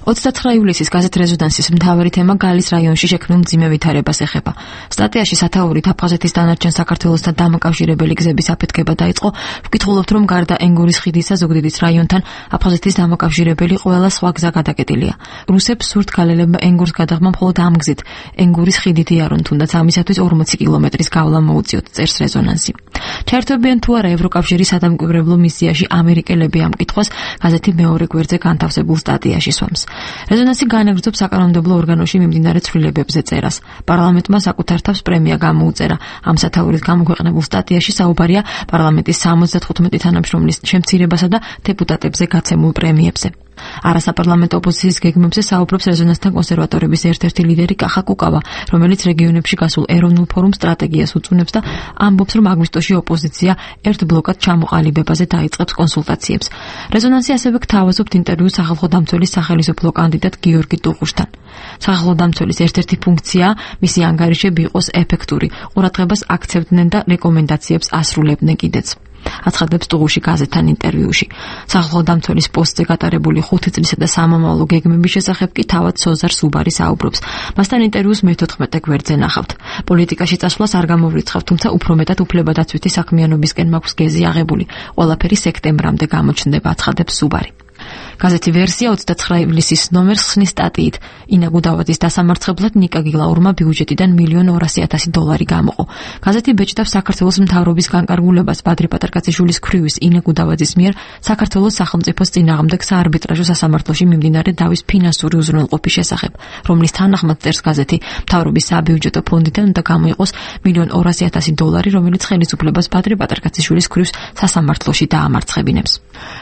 ოცდათვრამეტი ივლისის გაზეთ რეზონანსის მთავარი თემა გალის რაიონში შექმნილ მძიმე ვითარებას ეხება. სტატიაში სათაურით აფხაზეთის დანარჩენ საქართველოსთან დამაკავშირებელი გზების აფეთქება დაიწყო. ვკითხულობთ, რომ გარდა ენგურის ხიდისა ზუგდიდის რაიონთან აფხაზეთის დამაკავშირებელი ყველა სხვა გზა გადაკეტილია. რუსებს სურთ გალელებმა ენგურს გადაღმა მხოლოდ ამ გზით. ენგურის ხიდით იარონ, თუნდაც ამისათვის ორმოცი კილომეტრის გავლა მოუწიოთ, წერს რეზონანსი. ჩაერთვებიან თუ არა ევროკავშირის სადამკვირვებლო მისიაში ამერიკელები ამ კითხვას გაზეთი მეორე გვერდზე განთავსებულ სტატიაში სვამს. რეზონანსი განაგრძობს საკანონმდებლო ორგანოში მიმდინარე ცვლილებებზე წერას. პარლამენტმა საკუთარ თავს პრემია გამოუწერა. ამ სათაურით გამოქვეყნებულ სტატიაში საუბარია პარლამენტის სამოცდათხუთმეტი თანამშრომლის შემცირებასა და დეპუტატებზე გაცემულ პრემიებზე. არასაპარლამენტო ოპოზიციის გეგმებზე საუბრობს რეზონანსთან კონსერვატორების ერთ-ერთი ლიდერი კახა კუკავა, რომელიც რეგიონებში გასულ ეროვნულ ფორუმ სტრატეგიას უწუნებს და ამბობს, რომ აგვისტოში ოპოზიცია ერთ ბლოკად ჩამოყალიბებაზე დაიწყებს კონსულტაციებს. რეზონანსი ასევე გთავაზობთ ინტერვიუს სახალხო დამცველის სახელმწიფო კანდიდატ გიორგი ტუღუშთან. სახალხო დამცველის ერთ-ერთი ფუნქციაა მისი ანგარიშები იყოს ეფექტური, ყურადღებას აქცევდნენ და რეკომენდაციებს ასრულებდნენ კიდეც. აცხადებს ტუღუში გაზეთთან ინტერვიუში. სახალხო დამცველის პოსტზე გატარებული ხუთი წლისა და სამომავლო გეგმების შესახებ კი თავად სოზარ სუბარი საუბრობს. მასთან ინტერვიუს მეთოთხმეტე გვერდზე ნახავთ. პოლიტიკაში წასვლას არ გამოვრიცხავ, თუმცა უფრო მეტად უფლებადაცვითი საქმიანობისკენ მაქვს გეზი აღებული. ყველაფერი სექტემბრამდე გამოჩნდება, აცხადებს სუბარი. გაზეთი ვერსია ოცდაცხრა ივლისის ნომერს ხსნის სტატიით. ინა გუდავაძის დასამარცხებლად ნიკა გილაურმა ბიუჯეტიდან მილიონ ორასი ათასი დოლარი გამოყო. გაზეთი ბეჭდავს საქართველოს მთავრობის განკარგულებას ბადრი პატარკაციშვილის ქვრივის ინა გუდავაძის მიერ საქართველოს სახელმწიფოს წინააღმდეგ საარბიტრაჟო სასამართლოში მიმდინარე დავის ფინანსური უზრუნველყოფის შესახებ, რომლის თანახმად წერს გაზეთი, მთავრობის საბიუჯეტო ფონდიდან უნდა გამოიყოს მილიონ ორასი ათასი დოლარი, რომელიც ხელისუფლებას ბადრი პატარკაციშვილის ქვრივს სასამართლოში დაამარცხებინებს.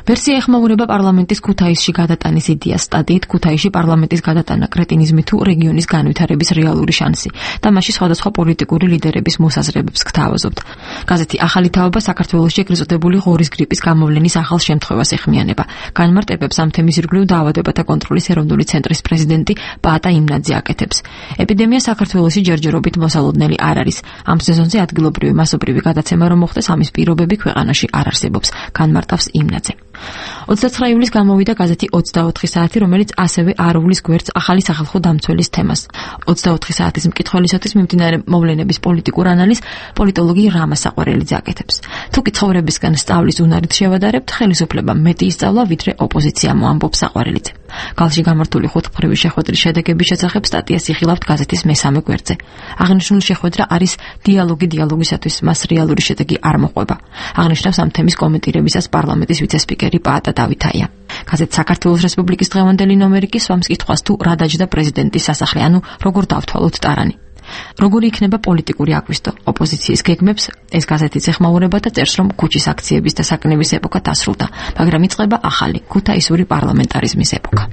ვერსია ეხმაურება პარლამენტის ქუთაისში გადატანის იდეას. სტატიით ქუთაისში პარლამენტის გადატანა კრეტინიზმი თუ რეგიონის განვითარების რეალური შანსი და მასში სხვადასხვა პოლიტიკური ლიდერების მოსაზრებებს გთავაზობთ. გაზეთი ახალი თაობა საქართველოში ეგრეზოდებული ღორის გრიპის გამოვლენის ახალ შემთხვევას ეხმიანება. განმარტებებს ამ თემის ირგვლივ დაავადებათა კონტროლის ეროვნული ცენტრის პრეზიდენტი პაატა იმნაძე აკეთებს. ეპიდემია საქართველოში ჯერჯერობით მოსალოდნელი არ არის. ამ სეზონზე ადგილობრივი მასობრივი გადაცემა რომ მოხდეს, ამის პირობები ქვეყანაში არ არსებობს, განმარტავს იმნაძე. ოცდაცხრა ივლისს გამოვიდა გაზეთი ოცდაოთხი საათი, რომელიც ასევე არულის გვერდს ახალი სახალხო დამცველის თემას. ოცდაოთხი საათის მკითხველისათვის მიმდინარე მოვლენების პოლიტიკურ ანალიზს პოლიტოლოგი რამა საყვარელიძე აკეთებს. თუ კი ცხოვრებისგან სწავლის უნარით შევადარებთ, ხელისუფლებამ მეტი ისწავლა, ვიდრე ოპოზიცია, ამბობს საყვარელიძე. გალში გამართული ხუთმხრივი შეხვედრის შედეგების შესახებ სტატიას იხილავთ გაზეთის მესამე გვერდზე. აღნიშნული შეხვედრა არის დიალოგი დიალოგისათვის, მას რეალური შედეგი არ მოყვება. აღნიშნავს ამ თემის კომენტირებისას პარლამენტის ვიცესპიკერი პაატა დავითაია. გაზეთ საქართველოს რესპუბლიკის დღევანდელი ნომერი კი swams კითხვას თუ რა დაჯდა პრეზიდენტის სასახლე, ანუ როგორ დავთვალოთ ტარანი. როგორი იქნება პოლიტიკური აგვისტო ოპოზიციის გეგმებს, ეს გაზეთიც ეხმაურება და წერს, რომ ქუჩის აქციების და საკნების ეპოქა დასრულდა, მაგრამ იწყება ახალი ქუთაისური პარლამენტარიზმის ეპოქა.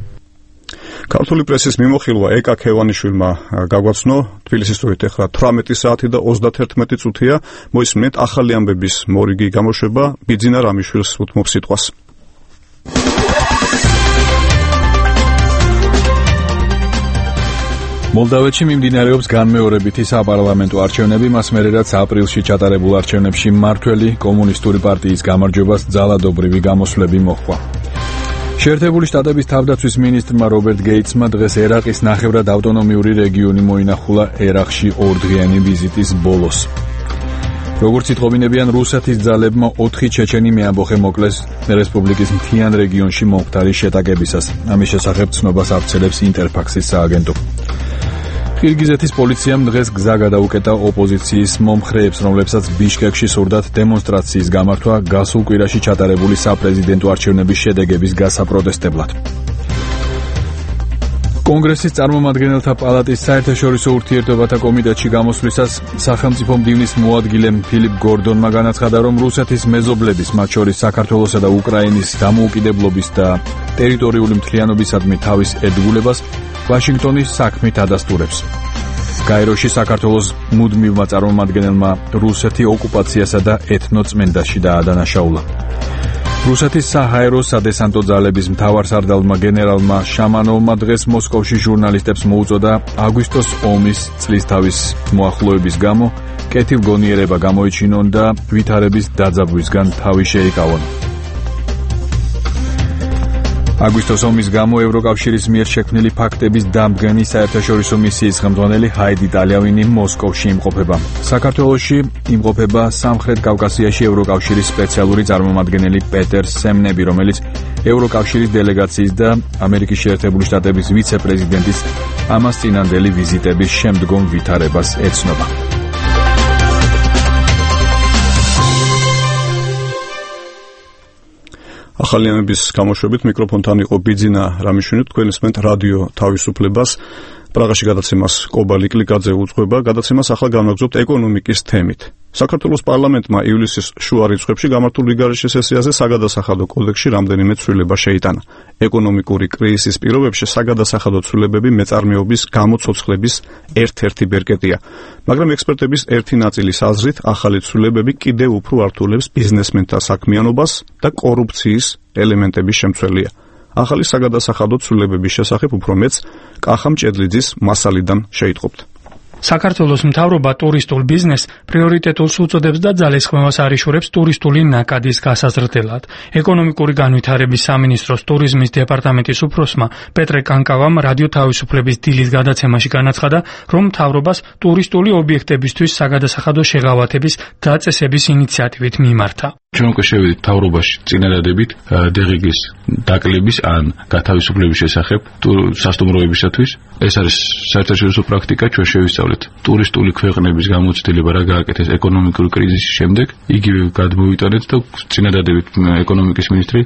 ქართული პრესის მიმოხილვა ეკა ქევანიშვილმა გაგვაცნო. თბილისის დროით ახლა თვრამეტი საათი და ოცდათერთმეტი წუთია. მოისმენთ ახალი ამბების მორიგი გამოშვება. ბიძინა რამიშვილს უთმობს სიტყვას. მოლდავეთში მიმდინარეობს განმეორებითი საპარლამენტო არჩევნები, მას მერერაც აპრილში ჩატარებულ არჩევნებში მმართველი კომუნისტური პარტიის გამარჯვებას ძალადობრივი გამოსვლები მოჰყვა. შეერთებული შტატების თავდაცვის მინისტრმა რობერტ გეიტსმა დღეს ერაყის ნახევრად ავტონომიური რეგიონი მოინახულა ერაყში ორდღიანი ვიზიტის ბოლოს. როგორც იტყობინებიან, რუსეთის ძალებმა ოთხი ჩეჩენი მეამბოხე მოკლეს რესპუბლიკის მთიან რეგიონში მომხდარი შეტაკებისას. ამის შესახებ ცნობას ავრცელებს ინტერფაქსის სააგენტო. ყირგიზეთის პოლიციამ დღეს გზა გადაუკეტა ოპოზიციის მომხრეებს, რომლებსაც ბიშკეკში სურდათ დემონსტრაციის გამართვა გასულ კვირაში ჩატარებული საპრეზიდენტო არჩევნების შედეგების გასაპროტესტებლად. კონგრესის წარმომადგენელთა პალატის საერთაშორისო ურთიერთობათა კომიტეტში გამოსვლისას სახელმწიფო მდივნის მოადგილე ფილიპ გორდონმა განაცხადა, რომ რუსეთის მეზობლების, მათ შორის საქართველოსა და უკრაინის დამოუკიდებლობის და ტერიტორიული მთლიანობისადმი თავის ედგულებას ვაშინგტონი საქმით ადასტურებს. გაეროში საქართველოს მუდმივმა წარმომადგენელმა რუსეთი ოკუპაციასა და ეთნოწმენდაში დაადანაშაულა. რუსეთის საჰაერო სადესანტო ძალების მთავარსარდალმა გენერალმა შამანოვმა დღეს მოსკოვში ჟურნალისტებს მოუწოდა აგვისტოს ომის წლისთავის მოახლოების გამო კეთილგონიერება გამოიჩინონ და ვითარების დაძაბვისგან თავი შეიკავონ. აგვისტოს ომის გამო ევროკავშირის მიერ შექმნილი ფაქტების დამდგენი საერთაშორისო მისიის ხელმძღვანელი ჰაიდი ტალიავინი მოსკოვში იმყოფება. საქართველოში იმყოფება სამხრეთ კავკასიაში ევროკავშირის სპეციალური წარმომადგენელი პეტერ სემნები, რომელიც ევროკავშირის დელეგაციის და ამერიკის შეერთებული შტატების ვიცე-პრეზიდენტის ამას წინანდელი ვიზიტების შემდგომ ვითარებას ეცნობა. ახალიანების გამოშვებით მიკროფონთან იყო ბიძინა რამიშვილი, თქვენ ისმენთ რადიო თავისუფლებას. პრაღაში გადაცემას კობალი კლიკაძე უძღვება, გადაცემას ახლა განვაგრძობთ ეკონომიკის თემით. საქართველოს პარლამენტმა ივლისის შუა რიცხვებში გამართულ რიგარეშე სესიაზე საგადასახადო კოდექსში რამდენიმე ცვლილება შეიტანა. ეკონომიკური კრიზისის პირობებში საგადასახადო ცვლილებები მეწარმეობის გამოცოცხლების ერთ-ერთი ბერკეტია. მაგრამ ექსპერტების ერთი ნაწილის აზრით, ახალი ცვლილებები კიდევ უფრო ართულებს ბიზნესმენთა საქმიანობას და კორუფციის ელემენტების შემცველია. ახალი საგადასახადო ცვლილებების შესახებ უფრო მეც კახა მჭედლიძის მასალიდან შეიტყობთ. საქართველოს მთავრობა ტურისტულ ბიზნესს პრიორიტეტულს უწოდებს და ძალისხმევას არიშურებს ტურისტული ნაკადის გასაზრდელად. ეკონომიკური განვითარების სამინისტროს ტურიზმის დეპარტამენტის უფროსმა პეტრე კანკავამ რადიო თავისუფლების დილის გადაცემაში განაცხადა, რომ მთავრობას ტურისტული ობიექტებისთვის საგადასახადო შეღავათების დაწესების ინიციატივით მიმართა. ჩვენ უკვე შევიდით მთავრობაში წინადადებით დღგ-ის დაკლების ან გათავისუფლების შესახებ სასტუმროებისათვის. ეს არის საერთაშორისო პრაქტიკა, ჩვენ შევისწავლეთ ტურისტული ქვეყნების გამოცდილება რა გააკეთეს ეკონომიკური კრიზისის შემდეგ, იგივე გადმოვიტანეთ და წინადადებით ეკონომიკის მინისტრი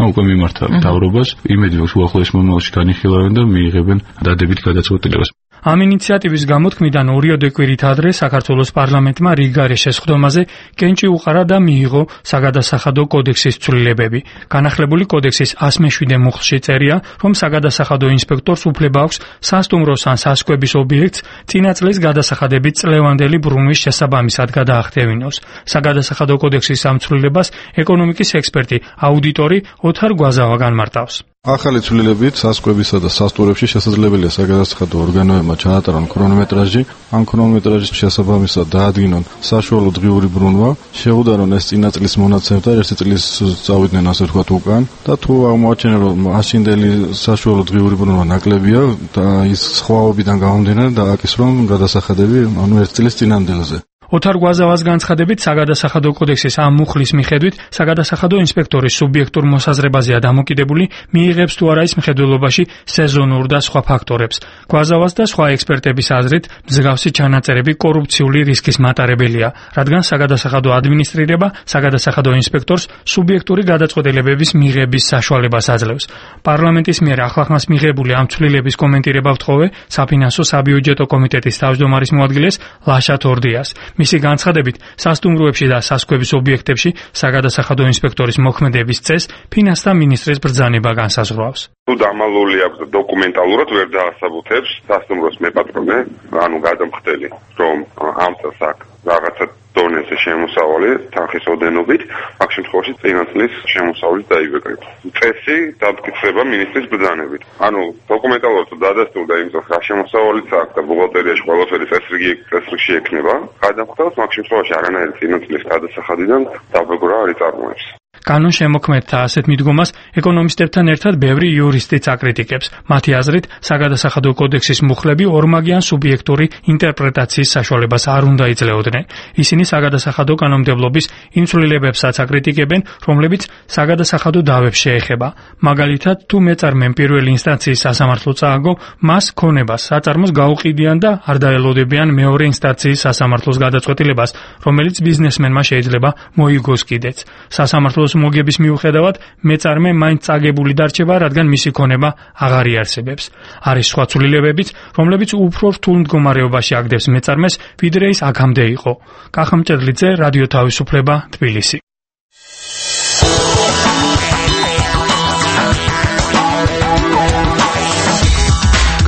უკვე მიმართა მთავრობას, იმედი მაქვს უახლოეს მომავალში განიხილავენ და მიიღებენ დადებით გადაწყვეტილებას. ამ ინიციატივის გამოთქმიდან ორიოდე კვირით ადრე საქართველოს პარლამენტმა რიგარეშე სხდომაზე კენჭი უყარა და მიიღო საგადასახადო კოდექსის ცვლილებები. განახლებული კოდექსის ასი მეშვიდე მუხლში წერია, რომ საგადასახადო ინსპექტორს უფლება აქვს სასტუმროს ან სასკვების ობიექტს წინა წლის გადასახადებით წლევანდელი ბრუნვის შესაბამისად გადაახდევინოს. საგადასახადო კოდექსის ამ ცვლილებას ეკონომიკის ექსპერტი, აუდიტორი ოთარ გვაზავა განმარტავს. ახალი ცვლილებით სასკვებისა და სასტუმრებში შესაძლებელია საგადასახადო ორგანოებმა ჩაატარონ ქრონომეტრაჟი, ან ქრონომეტრაჟის შესაბამისად დაადგინონ საშუალო დღიური ბრუნვა, შეუდარონ ეს წინა წლის მონაცემს და ერთი წლის წავიდნენ ასე ვთქვათ უკან და თუ აღმოაჩენენ რომ მაშინდელი საშუალო დღიური ბრუნვა ნაკლებია და ის სხვაობიდან გამომდინარე დააკისრონ გადასახადები ანუ ერთი წლის წინანდელზე. ოთარ გვაზავას განცხადებით საგადასახადო კოდექსის ამ მუხლის მიხედვით საგადასახადო ინსპექტორის სუბიექტურ მოსაზრებაზეა დამოკიდებული, მიიღებს თუ არა ის მხედველობაში სეზონურ და სხვა ფაქტორებს. გვაზავას და სხვა ექსპერტების აზრით, მსგავსი ჩანაწერები კორუფციული რისკის მატარებელია, რადგან საგადასახადო ადმინისტრირება საგადასახადო ინსპექტორს სუბიექტური გადაწყვეტილებების მიღების საშუალებას აძლევს. პარლამენტის მიერ ახლახანს მიღებული ამ ცვლილების კომენტირება ვთხოვე საფინანსო საბიუჯეტო კომიტეტის თავმჯდომარის მოადგილეს ლაშა თორდიას. მისი განცხადებით, სასტუმროებში და სასკვების ობიექტებში საგადასახადო ინსპექტორის მოქმედების წესს ფინანსთა მინისტრის ბრძანება განსაზღვრავს. თუ დამალული აქვს დოკუმენტალურად ვერ დაასაბუთებს სასტუმროს მეპატრონე, ანუ გადამხდელი, რომ ამ წელს აქვს რაღაცა დონეზე შემოსავალი თანხის ოდენობით, აქ შემთხვევაში წინა წლის შემოსავლით დაიბეკრება. წესი დამტკიცება მინისტრის ბრძანებით. ანუ დოკუმენტალურად დადასტურდა იმ წელს რა შემოსავალიც აქვს და ბუღალტერიაში ყველაფერი წესრიგი წესრიგში ექნება. გადამხდელს აქ შემთხვევაში არანაირი წინა წლის გადასახადიდან დაბეგრა არ იწარმოებს. კანონ შემოქმედთა ასეთ მიდგომას ეკონომისტებთან ერთად ბევრი იურისტიც აკრიტიკებს. მათი აზრით, საგადასახადო კოდექსის მუხლები ორმაგიან სუბიექტური ინტერპრეტაციის საშუალებას არ უნდა იძლეოდნენ. ისინი საგადასახადო კანონმდებლობის იმ ცვლილებებსაც აკრიტიკებენ, რომლებიც საგადასახადო დავებს შეეხება. მაგალითად, თუ მეწარმემ პირველი ინსტანციის სასამართლო წააგო, მას ქონებას საწარმოს გაუყიდიან და არ დაელოდებიან მეორე ინსტანციის სასამართლოს გადაწყვეტილებას, რომელიც ბიზნესმენმა შეიძლება მოიგოს კიდეც. სასამართლოს მოგების მიუხედავად მეწარმე მაინც წაგებული დარჩება, რადგან მისი ქონება აღარ იარსებებს. არის სხვა ცვლილებებიც, რომლებიც უფრო რთულ მდგომარეობაში აგდებს მეწარმეს, ვიდრე ის აქამდე იყო. კახა მჭედლიძე, რადიო თავისუფლება, თბილისი.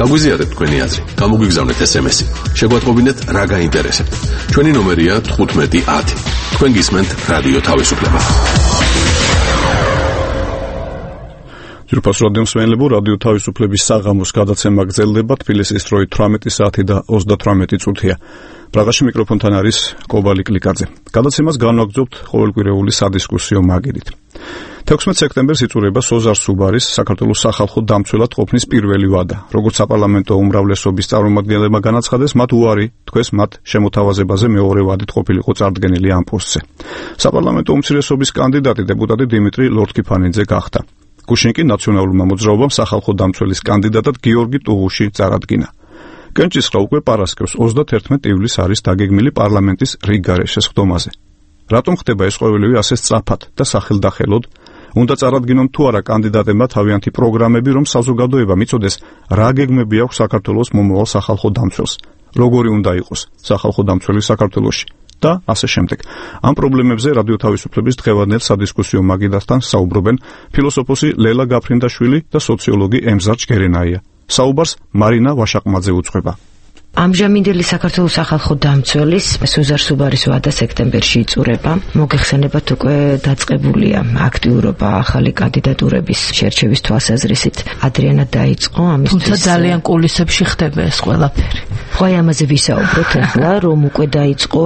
გაგვიზიარეთ თქვენი აზრი, გამოგვიგზავნეთ ესემესი. შეგვატყობინეთ რა გაინტერესებთ. ჩვენი ნომერია თხუთმეტი ათი. თქვენ გისმენთ რადიო თავისუფლება. ძირფას რადიო მსმენელებო, რადიო თავისუფლების საღამოს გადაცემა გრძელდება, თბილისის დროით თვრამეტი საათი და ოცდათვრამეტი წუთია. პრაღაში მიკროფონთან არის კობალი კლიკაძე. გადაცემას განვაგრძობთ ყოველკვირეული სადისკუსიო მაგიდით. თექვსმეტ სექტემბერს იწურება სოზარ სუბარის საქართველოს სახალხო დამცველად ყოფნის პირველი ვადა. როგორც საპარლამენტო უმრავლესობის წარმომადგენლებმა განაცხადეს, მათ უარი თქვეს მათ შემოთავაზებაზე მეორე ვადით ყოფილიყო წარდგენილი ამ პოსტზე. საპარლამენტო უმცირესობის კანდიდატი დეპუტატი დიმიტრი ლორთქიფანიძე გახდა. გუშინ კი ნაციონალურმა მოძრაობამ სახალხო დამცველის კანდიდატად გიორგი ტუღუში წარადგინა. კენჭისყრა უკვე პარასკევს ოცდაათერთმეტ ივლისს არის დაგეგმილი პარლამენტის რიგარეშე სხდომაზე. რატომ ხდება ეს ყოველივე ასე სწრაფად და სახელდახელოდ? უნდა წარადგინონ თუ არა კანდიდატებმა თავიანთი პროგრამები, რომ საზოგადოება მიცოდეს, რა გეგმები აქვს საქართველოს მომავალ სახალხო დამცველს, როგორი უნდა იყოს სახალხო დამცველი საქართველოში და ასე შემდეგ. ამ პრობლემებზე რადიო თავისუფლების დღევანდელ სადისკუსიო მაგიდასთან საუბრობენ ფილოსოფოსი ლელა გაფრინდაშვილი და სოციოლოგი ემზარ ჯგერენაია. საუბარს მარინა ვაშაყმაძე უძღვება. ამჟამინდელი საქართველოს სახალხო დამცველის სუზარ სუბარის ვადა სექტემბერში იწურება. მოგეხსენებათ, უკვე დაწყებულია აქტიურობა ახალი კანდიდატურების შერჩევის თვალსაზრისით. ადრიანად დაიწყო ამისთვის. თუმცა ძალიან კულისებში ხდება ეს ყველაფერი. ხო, ამაზე ვისაუბროთ ახლა, რომ უკვე დაიწყო,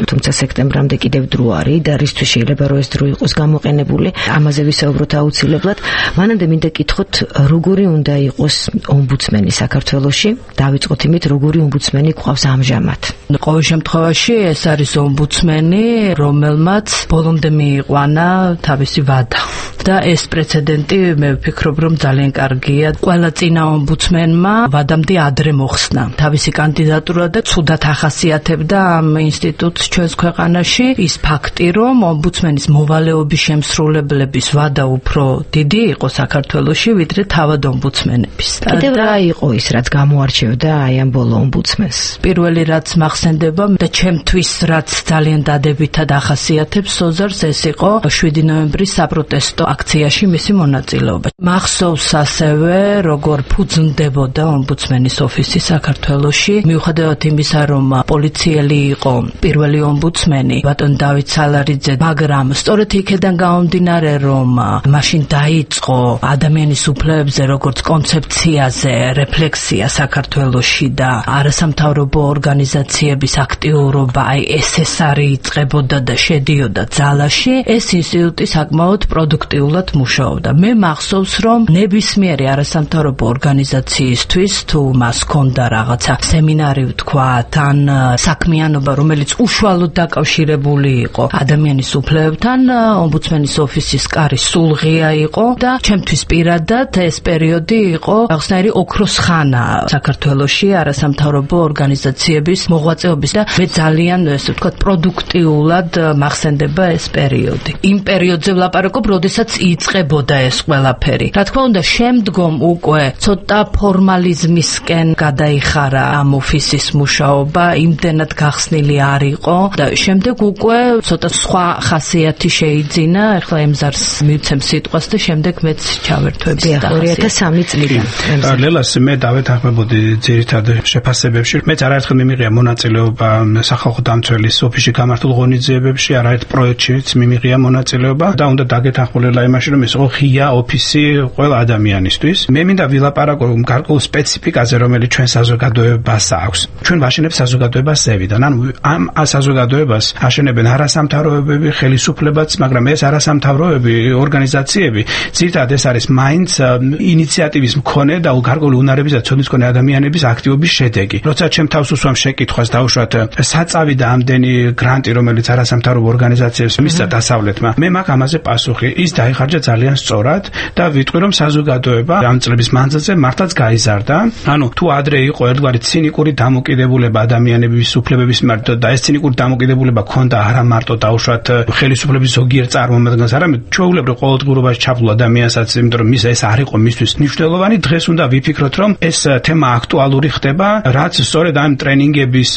თუმცა სექტემბრამდე კიდევ დრო არის და რისთვის შეიძლება რომ ეს დრო იყოს გამოყენებული. ამაზე ვისაუბროთ აუცილებლად. მანამდე მინდა კითხოთ, როგორი უნდა იყოს ომბუდსმენი საქართველოში? დავიწყოთ იმით, როგორი ომბუდსმენი გვყავს ამჟამად. ყოველ შემთხვევაში ეს არის ომბუდსმენი, რომელმაც ბოლომდე მიიყვანა თავისი ვადა. და ეს პრეცედენტი მე ვფიქრობ, რომ ძალიან კარგია. ყველა წინა ომბუდსმენმა ვადამდე ადრე მოხსნა თავისი კანდიდატურა და ცუდად ახასიათებდა ამ ინსტიტუტს ჩვენს ქვეყანაში ის ფაქტი, რომ ომბუდსმენის მოვალეობის შემსრულებლების ვადა უფრო დიდი იყო საქართველოში, ვიდრე თავად ომბუდსმენების. კიდევ რა იყო ის, რაც გამოარჩევდა აი ამ ბოლო ომბუდსმენს? პირველი რაც მახსენდება და ჩემთვის რაც ძალიან დადებითად ახასიათებს სოზარს, ეს იყო შვიდი ნოემბრის საპროტესტო აქციაში მისი მონაწილეობა. მახსოვს ასევე, როგორ ფუძნდებოდა ომბუდსმენის ოფისი საქართველოში, მიუხედავად იმისა, რომ პოლიციელი იყო პირველი ომბუდსმენი, ბატონ დავით სალარიძე, მაგრამ სწორედ იქედან გამომდინარე, რომ მაშინ დაიწყო ადამიანის უფლებებზე როგორც კონცეფციაზე რეფლექსია საქართველოში და არასამთავრობო ორგანიზაციების აქტიურობა, აი ეს ეს არის იწყებოდა და შედიოდა ძალაში, ეს ინსტიტუტი საკმაოდ პროდუქტიულად მუშაობდა. მე მახსოვს, რომ ნებისმიერი არასამთავრობო ორგანიზაციისთვის თუ მას ჰქონდა რაღაცა სემინარი ვთქვათ, ან საქმიანობა, რომელიც უშუალოდ დაკავშირებული იყო ადამიანის უფლებებთან, ომბუდსმენის ოფისის კარი სულღია იყო და ჩემთვის პირადად ეს პერიოდი იყო რაღაცნაირი ოქროს ხანა საქართველოში არასამთავრობო ორგანიზაციების მოღვაწეობის და მე ძალიან ესე ვთქვათ პროდუქტიულად მახსენდება ეს პერიოდი. იმ პერიოდზე ვლაპარაკობ, როდესაც იწყებოდა ეს ყველაფერი. რა თქმა უნდა, შემდგომ უკვე ცოტა ფორმალიზმისკენ გადაიხარა ამ ოფისის მუშაობა, იმდენად გახსნილი არ იყო და შემდეგ უკვე ცოტა სხვა ხასიათი შეიძინა. ახლა ემზარს მივცემ სიტყვას და შემდეგ მეც ჩავერთვები ორი ათას სამი წლიდან. ლელას მე დავეთანხმებოდი ძირითად შეფასებებში. მეც არაერთხელ მიმიღია მონაწილეობა სახალხო დამცველის ოფისში გამართულ ღონისძიებებში, არაერთ პროექტშიც მიმიღია მონაწილეობა და უნდა დაგეთანხმულიყო იმაში, რომ ეს იყო ღია ოფისი ყველა ადამიანისთვის. მე მინდა ვილაპარაკო გარკვეულ სპეციფიკაზე, რომელიც ჩვენ საზოგადოებას აქვს. ჩვენ ვაშენებთ საზოგადოებას ზევიდან. ანუ ამ საზოგადოებას აშენებენ არასამთავრობოები, ხელისუფლებაც, მაგრამ ეს არასამთავრობოები, ორგანიზაციები, ძირითადად ეს არის მაინც ინიციატივის მქონე და გარკვეული უნარების და ცოდნის მქონე ადამიანების აქტივობის შედეგი. როცა ჩემ თავს უსვამ შეკითხვას დაუშვათ საწავი და ამდენი გრანტი, რომელიც არასამთავრობო ორგანიზაციებს მისცა დასავლეთმა, მე მაქვს ამაზე პასუხი. ის დაიხარჯა ძალიან სწორად და ვიტყვი, რომ საზოგადოება ამ წლების მანძილზე მართლაც გაიზარდა. ანუ თუ ადრე იყო ერთგვარი ცინიკური დამოკიდებულება ადამიანების უფლებების მიმართ და ეს ცინიკური დამოკიდებულება ქონდა არა მარტო დაუშვათ ხელისუფლების ზოგიერთ წარმომადგენელს, არამედ ჩვეულებრივ ყოველდღიურობაში ჩაფლულ ადამიანსაც, იმიტომ რომ მის ეს არ იყო მისთვის მნიშვნელოვანი. დღეს უნდა ვიფიქროთ, რომ ეს თემა აქტუალური ხდება, რაც სწორედ ამ ტრენინგების,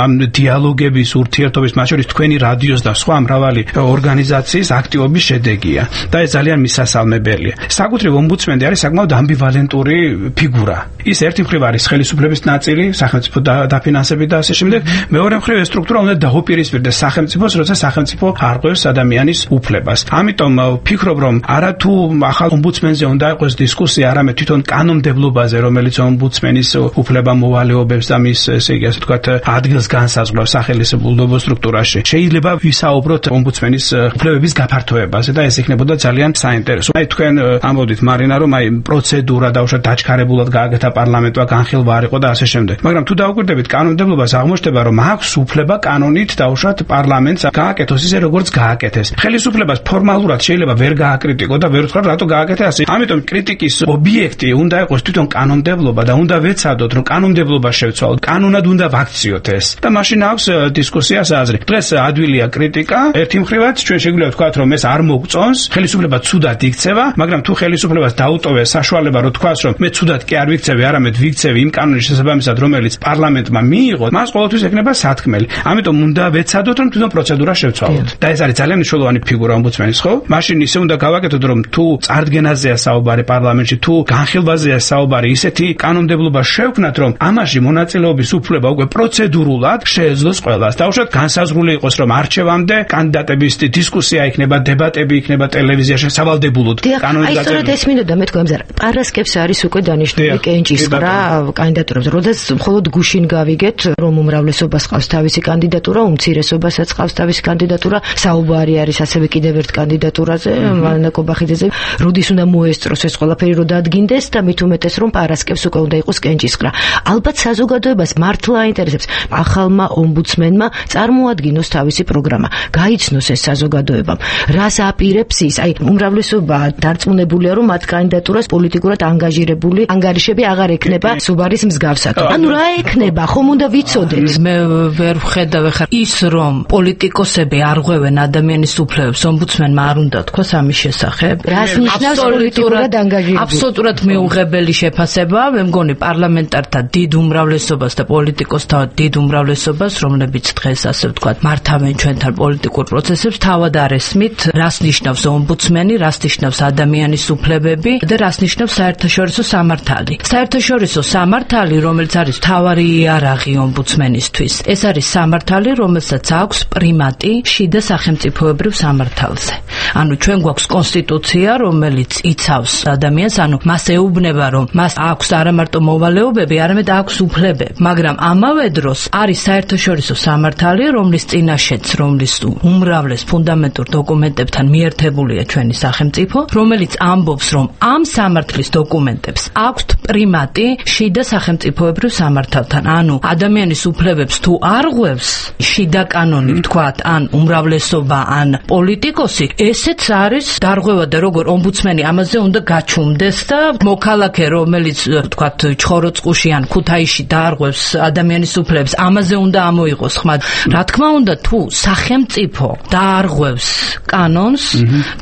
ამ დიალოგების, ურთიერთობის, მათ შორის თქვენი რადიოს და სხვა მრავალი ორგანიზაციის აქტივობის შედეგია და ეს ძალიან მისასალმებელია. საკუთრივ ომბუდსმენი არის საკმაოდ ამბივალენტური ფიგურა. ის ერთი მხრივ არის ხელისუფლების ნაწილი, სახელმწიფო დაფინანსებით და ასე შემდეგ. მეორე მხრივ ეს სტრუქტურა უნდა დაუპირისპირდეს სახელმწიფოს, როცა სახელმწიფო არღვევს ადამიანის უფლებას. ამიტომ ვფიქრობ, რომ არა თუ ახალ ომბუდსმენზე უნდა იყოს დისკუსია, არამედ თვითონ კანონმდებლობაზე, რომელიც ომბუდსმენის უფლება მოვალეობებს და მის, ესე იგი, ასე ვთქვათ, ადგილს განსაზღვრავს სახელმწიფო სტრუქტურაში. შეიძლება ვისაუბროთ ომბუდსმენის უფლებების გაფართოებაზე და ეს იქნებოდა ძალიან საინტერესო. აი თქვენ ამბობთ მარინა, რომ აი პროცედურა დაუშვათ დაჩქარებულად გააკეთა პარლამენტმა, განხილვა არ იყო და ასე შემდეგ. მაგრამ თუ დავუკვირდებით კანონმდებლობას, აღმოჩნდება, რომ აქვს უფლება კანონით დაუშვათ პარლამენტს გააკეთოს ისე, როგორც გააკეთეს. ხელისუფლებას ფორმალურად შეიძლება ვერ გააკრიტიკო და ვერ ვთქვა, რატო გააკეთე ასე. ამიტომ კრიტიკის ობიექტი უნდა იყოს თვითონ კანონმდებლობა და უნდა ვეცადოთ, რომ კანონმდებლობა მდგომარეობა შევცვალოთ. კანონად უნდა ვაქციოთ ეს. და მაშინ აქვს დისკუსიას აზრი. დღეს ადვილია კრიტიკა. ერთი მხრივაც ჩვენ შეგვიძლია ვთქვათ, რომ ეს არ მოგწონს, ხელისუფლება ცუდად იქცევა, მაგრამ თუ ხელისუფლებას დაუტოვეს საშუალება, რომ თქვას, რომ მე ცუდად კი არ ვიქცევი, არამედ ვიქცევი იმ კანონის შესაბამისად, რომელიც პარლამენტმა მიიღო, მას ყოველთვის ექნება სათქმელი. ამიტომ უნდა ვეცადოთ, რომ თვითონ პროცედურა შევცვალოთ. და ეს არის ძალიან მნიშვნელოვანი ფიგურა ომბუდსმენის, ხო? მაშინ ისე უნდა გავაკეთოთ, რომ თუ წარდგენაზეა საუბარი პარლამენტში, თუ განხილვაზეა საუბარი, ისეთი კანონმდებლობა შევქმნათ, რომ ამაში მონაწილეობის უფლება უკვე პროცედურულად შეეძლოს ყველას. დაუშვათ განსაზღვრული იყოს, რომ არჩევამდე კანდიდატების დისკუსია იქნება, დებატები იქნება ტელევიზიაში სავალდებულოდ. კანონის გაწევრა. აი, სწორედ ეს მინდოდა მეთქვა ამზარ. პარასკევს არის უკვე დანიშნული კენჭისყრა კანდიდატურებს. როდესაც მხოლოდ გუშინ გავიგეთ, რომ უმრავლესობას ყავს თავისი კანდიდატურა, უმცირესობასაც ყავს თავისი კანდიდატურა, საუბარი არის ასევე კიდევ ერთ კანდიდატურაზე, მანა კობახიძეზე. როდის უნდა მოესწროს ეს ყველაფერი, რომ დადგინდეს და მით უმეტეს, რომ პარასკევს უკვე უნდა იყოს კენჭისყრა. ალბათ საზოგადოებას მართლა აინტერესებს ახალმა ომბუდსმენმა წარმოადგინოს თავისი პროგრამა, გაიცნოს ეს საზოგადოებამ. რას აპირებს ის? აი, უმრავლესობა დარწმუნებულია, რომ მათ კანდიდატურას პოლიტიკურად ანგაჟირებული ანგარიშები აღარ ექნება სუბარის მსგავსად. ანუ რა ექნება? ხომ უნდა ვიცოდეთ? მე ვერ ვხედავ ხარ ის, რომ პოლიტიკოსები არღვევენ ადამიანის უფლებებს, ომბუდსმენმა არ უნდა თქვას ამის შესახებ. რას ნიშნავს პოლიტიკურად ანგაჟირებული? აბსოლუტურად მიუღებელი შეფასებაა, მე მგონი პარლამენტართა დიდ უმრავლესობას და პოლიტიკოსთა დიდ უმრავლესობას, რომლებიც დღეს ასე ვთქვათ, მართავენ ჩვენთან პოლიტიკურ პროცესებს, თავად არ ესმით, რას ნიშნავს ომბუდსმენი, რას ნიშნავს ადამიანის უფლებები და რას ნიშნავს საერთაშორისო სამართალი. საერთაშორისო სამართალი, რომელიც არის მთავარი იარაღი ომბუდსმენისთვის, ეს არის სამართალი, რომელსაც აქვს პრიმატი შიდა სახელმწიფოებრივ სამართალზე. ანუ ჩვენ გვაქვს კონსტიტუცია, რომელიც იცავს ადამიანს, ანუ მას ეუბნება, რომ მას აქვს არა მარტო მოვალეობები, არამედ აქვს უფლებები, მაგრამ ამავე დროს არის საერთაშორისო სამართალი, რომლის წინაშეც, რომლის უმრავლეს ფუნდამენტურ დოკუმენტებთან მიერთებულია ჩვენი სახელმწიფო, რომელიც ამბობს, რომ ამ სამართლის დოკუმენტებს აქვს პრიმატი შიდა სახელმწიფოებრივ სამართალთან. ანუ ადამიანის უფლებებს თუ არღვევს შიდა კანონი, ვთქვათ, ან უმრავლესობა, ან პოლიტიკოსი, ესეც არის დარღვევა და როგორ ომბუდსმენი ამაზე უნდა გაჩუმდეს და მოქალაქე, რომელიც, ვთქვათ, ჩხოროწყუში ან ქუთაისში დაარღვევს ადამიანის უფლებებს, ამაზე უნდა ამოიღოს ხმა. რა თქმა უნდა, თუ სახელმწიფო დაარღვევს კანონს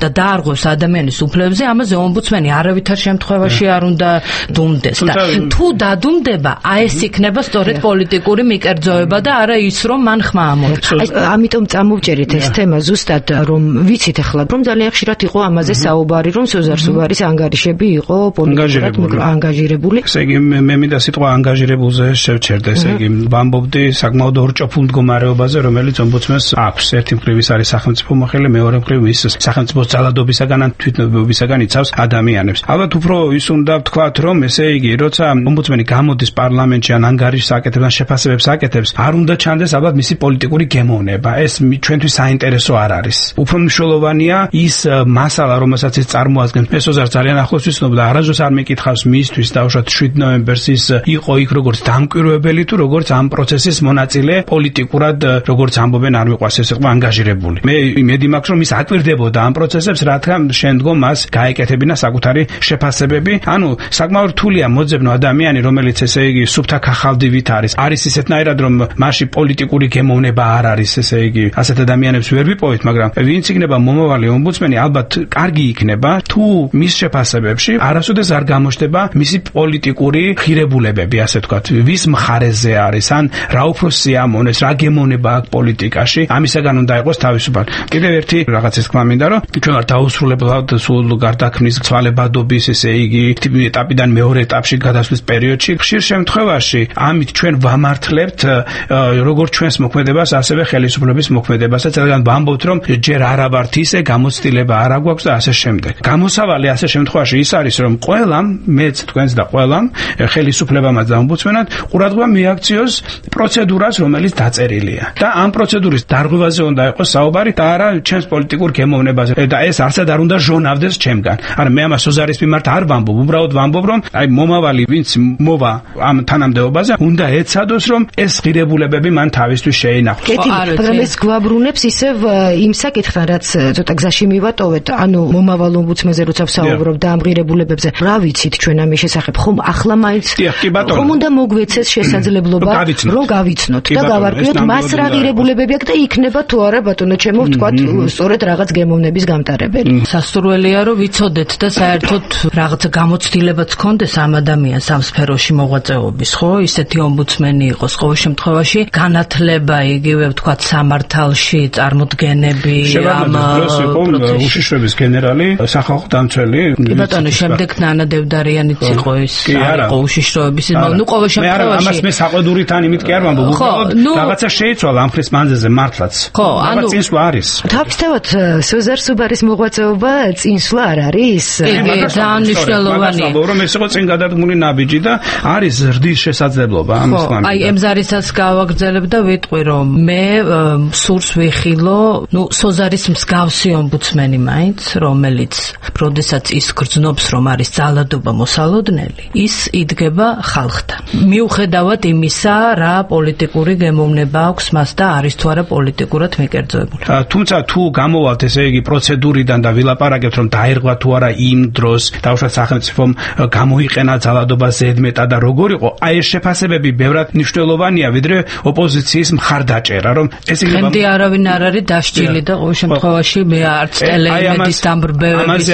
და დაარღვევს ადამიანის უფლებებზე, ამაზე ომბუდსმენი არავითარ შემთხვევაში არ უნდა დუმდეს. და თუ დადუმდება, აი ეს იქნება სწორედ პოლიტიკური მიკერძოება და არა ის, რომ მან ხმა ამოიღოს. ამიტომ წამოვჭერით ეს თემა ზუსტად, რომ ვიცით ახლა, რომ ძალიან ხშირად იყო ამაზე საუბარი, რომ სოზარ სუბარის ანგარიშები იყო პოლიტიკურად ანგაჟირებული. ესე იგი, მე მინდა სიტყვა ანგაჟირებულზე შევჩერდე, ესე იგი, ვამბობდი საკმაოდ ორჭოფულ მდგომარეობაზე, რომელიც ომბუდსმენს აქვს. ერთი მხრივ ის არის სახელმწიფო მოხელე, მეორე მხრივ ის სახელმწიფოს ძალადობისაგან ან თვითნებობისაგან იცავს ადამიანებს. ალბათ უფრო ის უნდა ვთქვათ, რომ ესე იგი, როცა ომბუდსმენი გამოდის პარლამენტში ან ანგარიშს აკეთებს ან შეფასებებს აკეთებს, არ უნდა ჩანდეს ალბათ მისი პოლიტიკური გემოვნება. ეს ჩვენთვის საინტერესო არ არის. უფრო მნიშვნელოვანია ის მასალა, რომელსაც ის წარმოადგენს. მე სოზარს ძალიან ახლოს ვიცნობ და არასდროს არ მეკითხავს მისთვის, დაუშვათ შვიდ ნოემბერს ის იყო იქ როგორც დამკვირვებელი თუ როგორც ამ პროცესის მონაწილე პოლიტიკურად, როგორც ამბობენ, არ მიყვარს ეს იყო ანგაჟირებული. მე იმედი მაქვს, რომ ის აკვირდებოდა ამ პროცესებს, რადგან შემდგომ მას გაეკეთებინა საკუთარი შეფასებები. ანუ საკმაოდ რთულია მოძებნო ადამიანი, რომელიც ესე იგი სუფთა ქახალდივით არის. არის ისეთნაირად, რომ მასში პოლიტიკური გემოვნება არ არის, ესე იგი, ასეთ ადამიანებს ვერ ვიპოვეთ, მაგრამ ვინც იქნება მომავალი ომბუდსმენი, ალბათ კარგი იქნება, თუ მის შეფასებებში არასოდეს არ გამოჩნდება მისი პოლიტიკური ღირებულებები, ასე ვთქვათ, ვის მხარეზე არის, ან რა უფრო სიამოვნეს, რა გემოვნება აქვს პოლიტიკაში, ამისაგან უნდა იყოს თავისუფალი. კიდევ ერთი რაღაცის თქმა მინდა, რომ ჩვენ ვართ დაუსრულებლად სულ გარდაქმნის ცვალებადობის, ესე იგი, ეტაპიდან მეორე ეტაპში გადასვლის პერიოდში. ხშირ შემთხვევაში ამით ჩვენ ვამართლებთ როგორც ჩვენს მოქმედებას, ასევე ხელისუფლების მოქმედებასაც, რადგან ვამბობთ, რომ ჯერ არა ვართ ისე, გამოცდილება არ აქვს და ასე შემდეგ. გამოსავალი ასე შემთხვევაში ის არის, რომ ყველამ, მეც, თქვენს და ყველამ, ხელისუფლებამაც და ომბუდსმენად ყურადღება მიაქციოს პროცედურას, რომელიც დაწერილია. და ამ პროცედურის დარღვევაზე უნდა იყოს საუბარი და არა ჩემს პოლიტიკურ გემოვნებაზე. და ეს არცად არ უნდა ჟონავდეს ჩემგან. არა, მე ამას სოზარის მიმართ არ ვამბობ, უბრალოდ ვამბობ, რომ აი მომავალი ვინც მოვა ამ თანამდებობაზე, უნდა ეცადოს, რომ ეს ღირებულებები მან თავისთვის შეინახოს. კეთილი, მაგრამ ეს გვაბრუნებს ისევ იმ საკითხთან, რაც ცოტა გზაში მივატოვეთ, ანუ მომავალ ომბუდსმენზე როცა ვსაუბრობ და ამ ღირებულებებზე, რა ვიცით ჩვენ ამის შესახებ, ხომ ახლა მაინც ხომ უნდა მოგვეცეს შესაძლებლობა რომ გავიცნოთ და გავარკვიოთ მას რა ღირებულებები აქვს და იქნება თუ არა ბატონო ჩემო ვთქვათ სწორედ რაღაც გემოვნების გამტარებელი. სასურველია რომ ვიცოდეთ და საერთოდ რაღაც გამოცდილებაც გქონდეს ამ ადამიანს ამ სფეროში მოღვაწეობის, ხო? ისეთი ომბუდსმენი იყოს ყოველ შემთხვევაში განათლება იგივე ვთქვათ სამართალში წარმოდგენები ამ უშიშროების გენერალი, სახალხო დამცველი. კი ბატონო, შემდეგ ნანა დევდარიანიც იყო ის, იყო უშიშროების, ნუ ყოველ შემთხვევაში. ამას მე საყვედურით ან იმით კი არ ვამბობ, უბრალოდ რაღაცა შეიცვალა ამ ხრის მანძილზე მართლაც. ხო, ანუ წინსვლა არის. თავისთავად სოზარ სუბარის მოღვაწეობა წინსვლა არ არის? კი, ძალიან მნიშვნელოვანია. რომ ეს იყო წინ გადადგმული ნაბიჯი და არის ზრდის შესაძლებლობა ამის ხო, აი ემზარისაც გავაგრძელებ და ვიტყვი რომ მე სურს ვიხილო, ნუ სოზარის მსგავსი ომბუდსმენი მაინც, რომელიც როდესაც ის გრძნობს რომ არის ძალადობა მოსალოდნელი, ის იდგება ხალხთან. მიუხედავად იმისა, რა პოლიტიკური გემოვნება აქვს მას და არის თუ არა პოლიტიკურად მიკერძოებული. თუმცა თუ გამოვალთ ესე იგი პროცედურიდან და ვილაპარაკებთ რომ დაერღვა თუ არა იმ დროს, თავშად სახელმწიფომ გამოიყენა ძალადობა ზედმეტად და როგორ იყო, აი ეს შეფასებები ბევრად მნიშვნელოვანია, ვიდრე ოპოზიციის მხარდაჭერა, რომ ეს იგი ხენდი არავინ არ არის დასჯილი და ყოველ შემთხვევაში მე არც ტელეიმედის დამბრბევების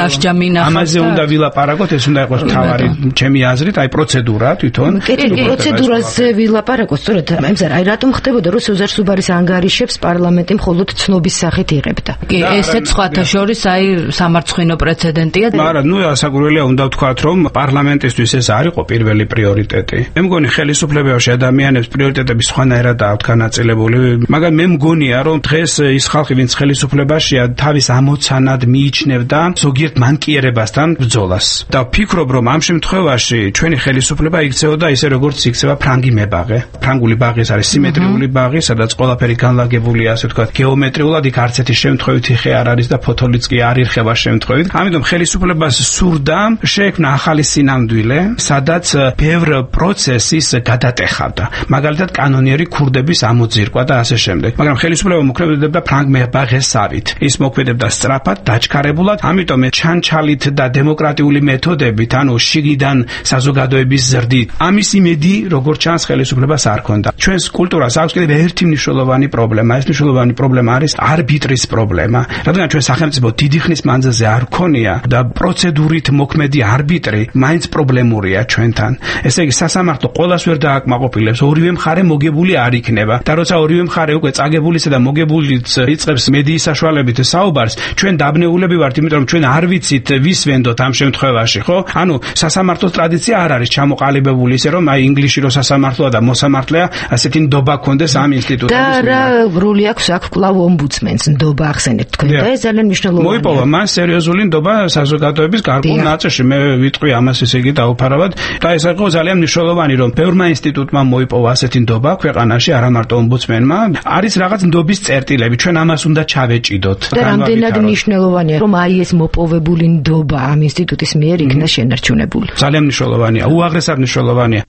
დასჯა მინახავს. ამაზე უნდა ვილაპარაკოთ, ეს უნდა იყოს თავარი ჩემი აზრით, აი პროცედურა თვითონ. კი, პროცედურაზე ვილაპარაკოთ, სწორედ ემზარ, აი რატომ ხდებოდა რომ სოზარ სუბარის ანგარიშებს პარლამენტი მხოლოდ ცნობის სახით იღებდა? კი, ესეც სხვათა შორის აი სამარცხვინო პრეცედენტია. მაგრამ ნუ ასაკურველია უნდა ვთქვათ რომ პარლამენტისთვის ეს არ იყო პირველი პრიორიტეტი. მე მგონი ხელისუფლებაში ადამიანებს პრიორიტეტები სხვანაირად აქვს განაწილებული, მაგრამ მე მგონია რომ დღეს ის ხალხი ვინც ხელისუფლებაშია თავის ამოცანად მიიჩნევდა ზოგიერთ მანკიერებასთან ბრძოლას. და ვფიქრობ რომ ამ შემთხვევაში ჩვენი ხელისუფლება იქცეოდა ისე როგორც იქცევა ფრანგი მებაღე. ფრანგული ბაღი არის სიმეტრიული ბაღი, სადაც ყველაფერი განლაგებულია, ასე ვთქვათ, გეომეტრიულად, იქ არც ერთი შემთხვევით ხე არ არის და ფოთოლიც კი არ ირხება შემთხვევით. ამიტომ ხელისუფლებას სურდა შეექმნა ახალი სინამდვილე, სადაც ბევრ პროცესის გადატეხავდა. მაგალითად, კანონიერი ქურდების ამოძირკვა და ასე შემდეგ. მაგრამ ხელისუფლება მოქმედებდა ფრანგ მებაღესავით. ის მოქმედებდა სწრაფად, დაჩქარებულად, ამიტომ ჩანჩალით და დემოკრატიული მეთოდებით, ანუ შიგიდან საზოგადოების ზრდით. ამის იმედი, როგორც ჩანს, ხელისუფლებას არ ჰქონდა. ჩვენს კულტურას აქვს კიდევ ერთი მნიშვნელოვანი პრობლემა. ეს მნიშვნელოვანი პრობლემა არის არბიტრის პრობლემა. რადგან ჩვენ სახელმწიფო დიდი ხნის მანძილზე არ ქონია და პროცედურით მოქმედი არბიტრი მაინც პრობლემურია ჩვენთან. ესე იგი სასამართლო ყოველას ვერ დააკმაყოფილებს, ორივე მხარე მოგებული არ იქნება. და როცა ორივე მხარე უკვე წაგებულისა და მოგებულიც იწყებს მედიის საშუალებით საუბარს, ჩვენ დაბნეულები ვართ, იმიტომ რომ ჩვენ არ ვიცით ვის ვენდოთ ამ შემთხვევაში, ხო? ანუ სასამართლოს ტრადიცია არ არის ჩამოყალიბებული ისე რომ აი ინგლისში რო სასამართლოა და მოსამართლეა, ასეთი ნდობა ქონდეს ამ ინსტიტუტების. და რა როლი აქვს აქ კლავ ომბუდსმენს ნდობა ახსენეთ თქვენ და ეს ძალიან მნიშვნელოვანია. მოიპოვა მას სერიოზული ნდობა საზოგადოების გარკვეულ ნაწილში. მე ვიტყვი ამას ესე იგი დაუფარავად და ეს იყო ძალიან მნიშვნელოვანი რომ ბევრმა ინსტიტუტმა მოიპოვა ასეთი ნდობა ქვეყანაში, არა მარტო ომბუდსმენმა. არის რაღაც ნდობის წერტილები, ჩვენ ამას უნდა ჩავეჭიდოთ. და რამდენად მნიშვნელოვანია რომ აი ეს მოპოვებული ნდობა ამ ინსტიტუტის მიერ იქნა შენარჩუნებული. ძალიან მნიშვნელოვანია, უაღრესად მნიშვნელოვანია.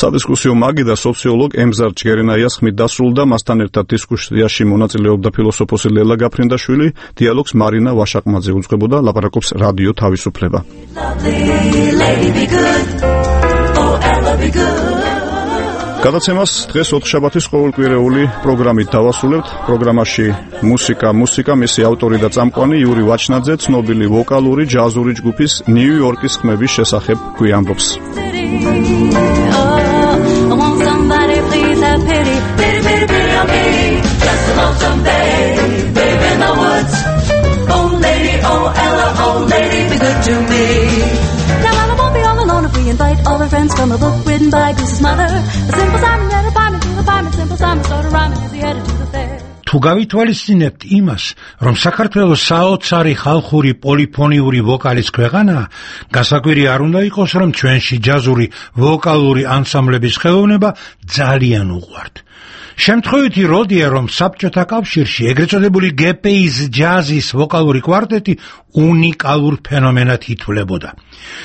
სადისკუსიო მაგი და სოციოლოგ ემზარ ჯგერენაიას ხმით დასრულდა, მასთან ერთად დისკუსიაში მონაწილეობდა ფილოსოფოსი ლელა გაფრინდაშვილი, დიალოგს მარინა ვაშაყმაძე უძღვებოდა, ლაპარაკობს რადიო თავისუფლება. გადაცემას დღეს ოთხშაბათის ყოველკვირეული პროგრამით დავასრულებთ. პროგრამაში მუსიკა, მუსიკა, მისი ავტორი და წამყვანი იური ვაჩნაძე ცნობილი ვოკალური ჯაზური ჯგუფის ნიუ-იორკის ხმების შესახებ გვიამბობს. I want somebody please have pity, pity, pity, pity on me. Just a lonesome day, babe in the woods. Oh lady, oh Ella, oh lady, be good to me. Now Ella won't be all alone if we invite all her friends from a book written by Goose's mother. A simple Simon read a poem to the poem, simple Simon started rhyming as he headed to the fair. თუ გავითვალისწინებთ იმას, რომ საქართველოს საოცარი ხალხური პოლიფონიური ვოკალის ქვეყანაა, გასაკვირი არ უნდა იყოს, რომ ჩვენში ჯაზური ვოკალური ანსამბლების ხელოვნება ძალიან უყვართ. შემთხვევითი როდია, რომ საბჭოთა კავშირში ეგრეთ წოდებული ჯი პი ის ჯაზის ვოკალური კვარტეტი უნიკალურ ფენომენად ითვლებოდა.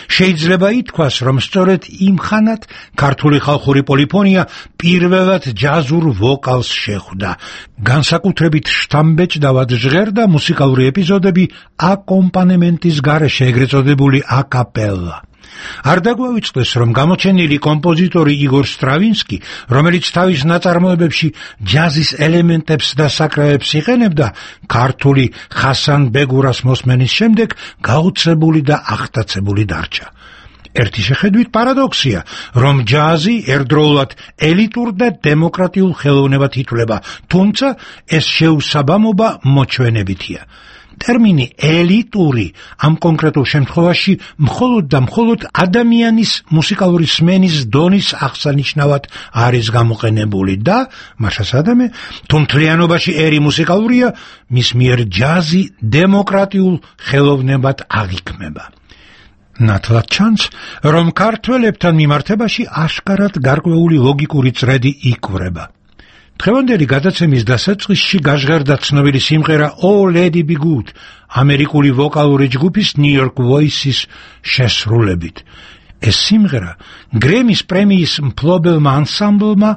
შეიძლება ითქვას, რომ სწორედ იმ ხანად ქართული ხალხური პოლიფონია პირველად ჯაზურ ვოკალს შეხვდა. განსაკუთრებით შთამბეჭდავად ჟღერდა მუსიკალური ეპიზოდები აკომპანემენტის გარეშე ეგრეთ წოდებული აკაპელა. არ დაგვავიწყდეს, რომ გამოჩენილი კომპოზიტორი იგორ სტრავინსკი, რომელიც თავის ნაწარმოებებში ჯაზის ელემენტებს და საკრავებს იყენებდა, ქართული ხასან ბეგურას მოსმენის შემდეგ გაუცებული და აღტაცებული დარჩა. ერთი შეხედვით პარადოქსია, რომ ჯაზი ერთდროულად ელიტურ და დემოკრატიულ ხელოვნებად ითვლება, თუმცა ეს შეუსაბამობა მოჩვენებითია. ტერმინი ელიტური ამ კონკრეტულ შემთხვევაში მხოლოდ და მხოლოდ ადამიანის მუსიკალური სმენის დონის აღსანიშნავად არის გამოყენებული და მაშასადამე თუ მთლიანობაში ერი მუსიკალურია, მის მიერ ჯაზი დემოკრატიულ ხელოვნებად აღიქმება. ნათლად ჩანს, რომ ქართველებთან მიმართებაში აშკარად გარკვეული ლოგიკური წრედი იკვრება. დღევანდელი გადაცემის დასაწყისში გაჟღერდა ცნობილი სიმღერა Oh Lady Be Good, ამერიკული ვოკალური ჯგუფის New York Voices შესრულებით. ეს სიმღერა გრემის პრემიის მფლობელმა ანსამბლმა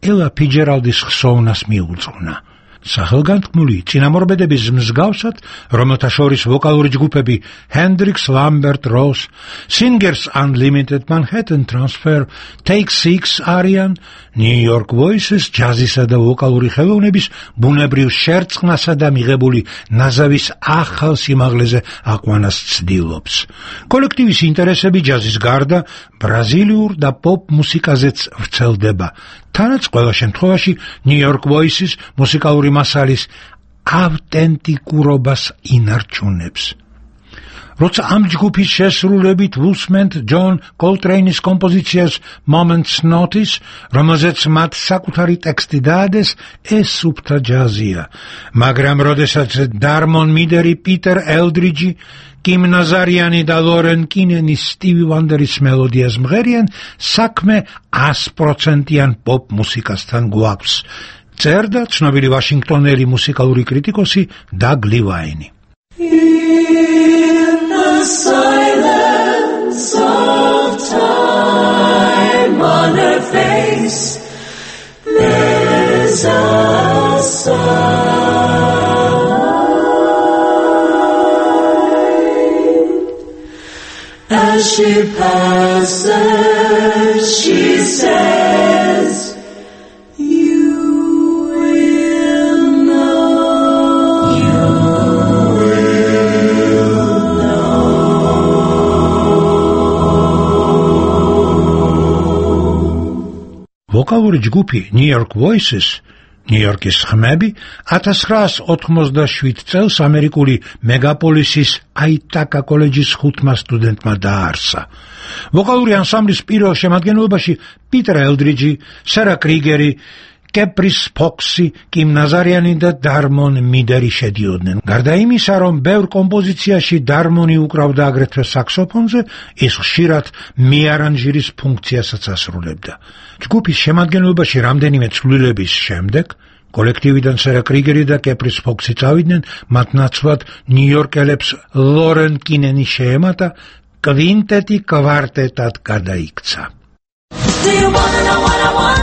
ელა ფიჯერალდის ხსოვნას მიუძღვნა. სახელგანთქმული წინამორბედების მსგავსად, რომელთა შორის ვოკალური ჯგუფები Hendrix, Lambert, Ross, Singers Unlimited, Manhattan Transfer, Take Six არიან, New York Voices ჯაზისა და ვოკალური ხელოვნების ბუნებრივ შერწყმასა და მიღებული ნაზავის ახალ სიმაღლეზე აყვანას ცდილობს. კოლექტივის ინტერესები ჯაზის გარდა ბრაზილიურ და პოპ მუსიკაზეც ვრცელდება. თანაც ყველა შემთხვევაში New York Voices მუსიკალური მასალის ავტენტიკურობას ინარჩუნებს. როცა ამ ჯგუფის შესრულებით ვუსმენთ ჯონ კოლტრეინის კომპოზიციას Moment's Notice, რომელზეც მათ საკუთარი ტექსტი დაადეს, ეს სუფთა ჯაზია. მაგრამ როდესაც დარმონ მიდერი, პიტერ ელდრიჯი, კიმ ნაზარიანი და ლორენ კინენი სტივი ვანდერის მელოდიას მღერიან, საქმე ას პროცენტიან პოპ მუსიკასთან გვაქვს. წერდა ცნობილი ვაშინგტონელი მუსიკალური კრიტიკოსი დაგ ლივაინი. In the silence of time, on her face there's a sigh. As she passes, she says, you will know, you ვოკალური ჯგუფი New York Voices, New York-ის ხმები ათას ცხრაას ოთხმოცდაშვიდ წელს ამერიკული მეგაპოლისის აიტაკა კოლეჯის ხუთმა სტუდენტმა დააარსა. ვოკალური ანსამბლის პირველ შემადგენლობაში პიტერ ელდრიჯი, სარა კრიგერი, კეპრის ფოქსი, კიმ ნაზარიანი და დარმონ მიდერი შედიოდნენ. გარდა იმისა, რომ ბევრ კომპოზიციაში დარმონი უკრავდა აგრეთვე საქსოფონზე, ის ხშირად მეარანჟირის ფუნქციასაც ასრულებდა. ჯგუფის შემადგენლობაში რამდენიმე ცვლილების შემდეგ კოლექტივიდან სარა კრიგერი და კეპრის ფოქსი წავიდნენ, მათ ნაცვლად ნიუ-იორკელებს ლორენ კინენი შეემატა, კვინტეტი კვარტეტად გადაიქცა. Do you wanna know what I want?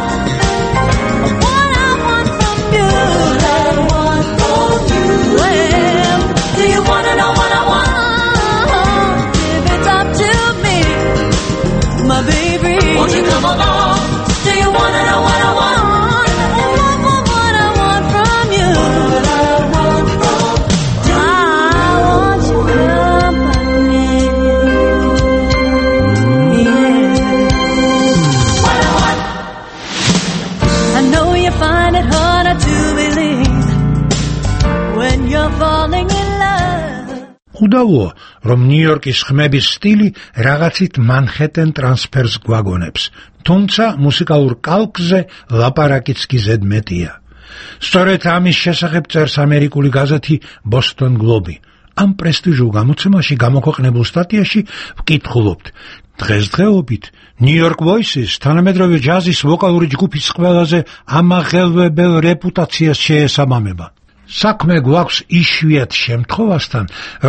What I want from you? What I want from you? Well, do you wanna know what I want? If it's up to me, my baby, won't you come along? Do you wanna know what I want? What I want from you? What I want from you? I want your company. I know you find it harder to believe when you're falling in love. უდავოა, რომ ნიუ-იორკის ხმების სტილი რაღაცით მანჰეტენ ტრანსფერს გვაგონებს, თუმცა მუსიკალურ კალკზე ლაპარაკიც კი ზედმეტია. სწორედ ამის შესახებ წერს ამერიკული გაზეთი Boston Globe. ამ პრესტიჟულ გამოცემაში გამოქვეყნებულ სტატიაში ვკითხულობთ, დღესდღეობით New York Voices თანამედროვე ჯაზის ვოკალური ჯგუფის ყველაზე ამაღელვებელ რეპუტაციას შეესაბამება. საქმე გვაქვს იშვიათ შემთხვევასთან,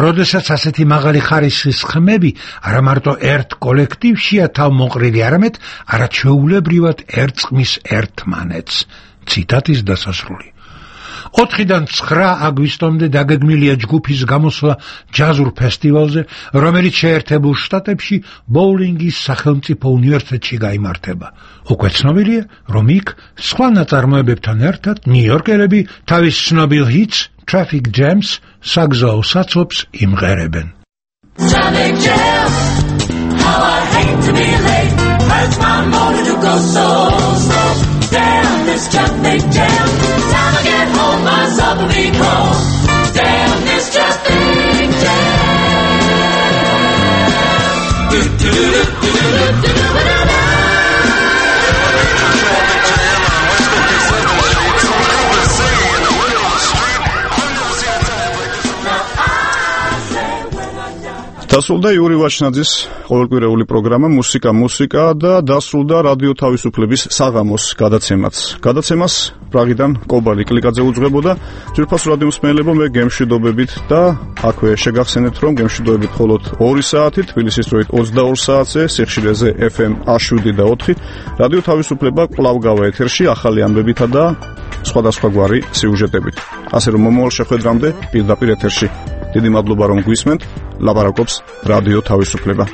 როდესაც ასეთი მაღალი ხარისხის ხმები არა მარტო ერთ კოლექტივშია თავმოყრილი, არამედ არაჩვეულებრივად ერწყმის ერთმანეთს. ციტატის დასასრული. ოთხიდან ცხრა აგვისტომდე დაგეგმილია ჯგუფის გამოსვლა ჯაზურ ფესტივალზე, რომელიც შეერთებულ შტატებში ბოულინგის სახელმწიფო უნივერსიტეტში გაიმართება. უკვე ცნობილია, რომ იქ სხვა ნაწარმოებებთან ერთად ნიუ-იორკელები თავის ცნობილ ჰიტს Traffic Jams საგზაო საცობს იმღერებენ. Traffic jam, how I hate to be late, hurts my motor to go so slow. Damn this traffic jam, time I get home myself will be cold. Damn this traffic jam. Do do do do do do do do. დასრულდა იური ვაჩნაძის ყოველკვირეული პროგრამა მუსიკა მუსიკა და დასრულდა რადიო თავისუფლების საღამოს გადაცემაც. გადაცემას პრაღიდან კობალი კლიკაძე უძღვებოდა. ძვირფას რადიო მსმენელებო, მე გემშვიდობებით და აქვე შეგახსენებთ, რომ გემშვიდობებით მხოლოდ ორი საათი, თბილისის დროით ოცდაორ საათზე, სიხშირეზე ეფ ემ შვიდ და ოთხი. რადიო თავისუფლება კვლავ გავა ეთერში ახალი ამბებითა და სხვადასხვაგვარი სიუჟეტებით. ასე რომ მომავალ შეხვედრამდე პირდაპირ ეთერში. დიდი მადლობა რომ გვისმენთ. ლაპარაკობს რადიო თავისუფლება.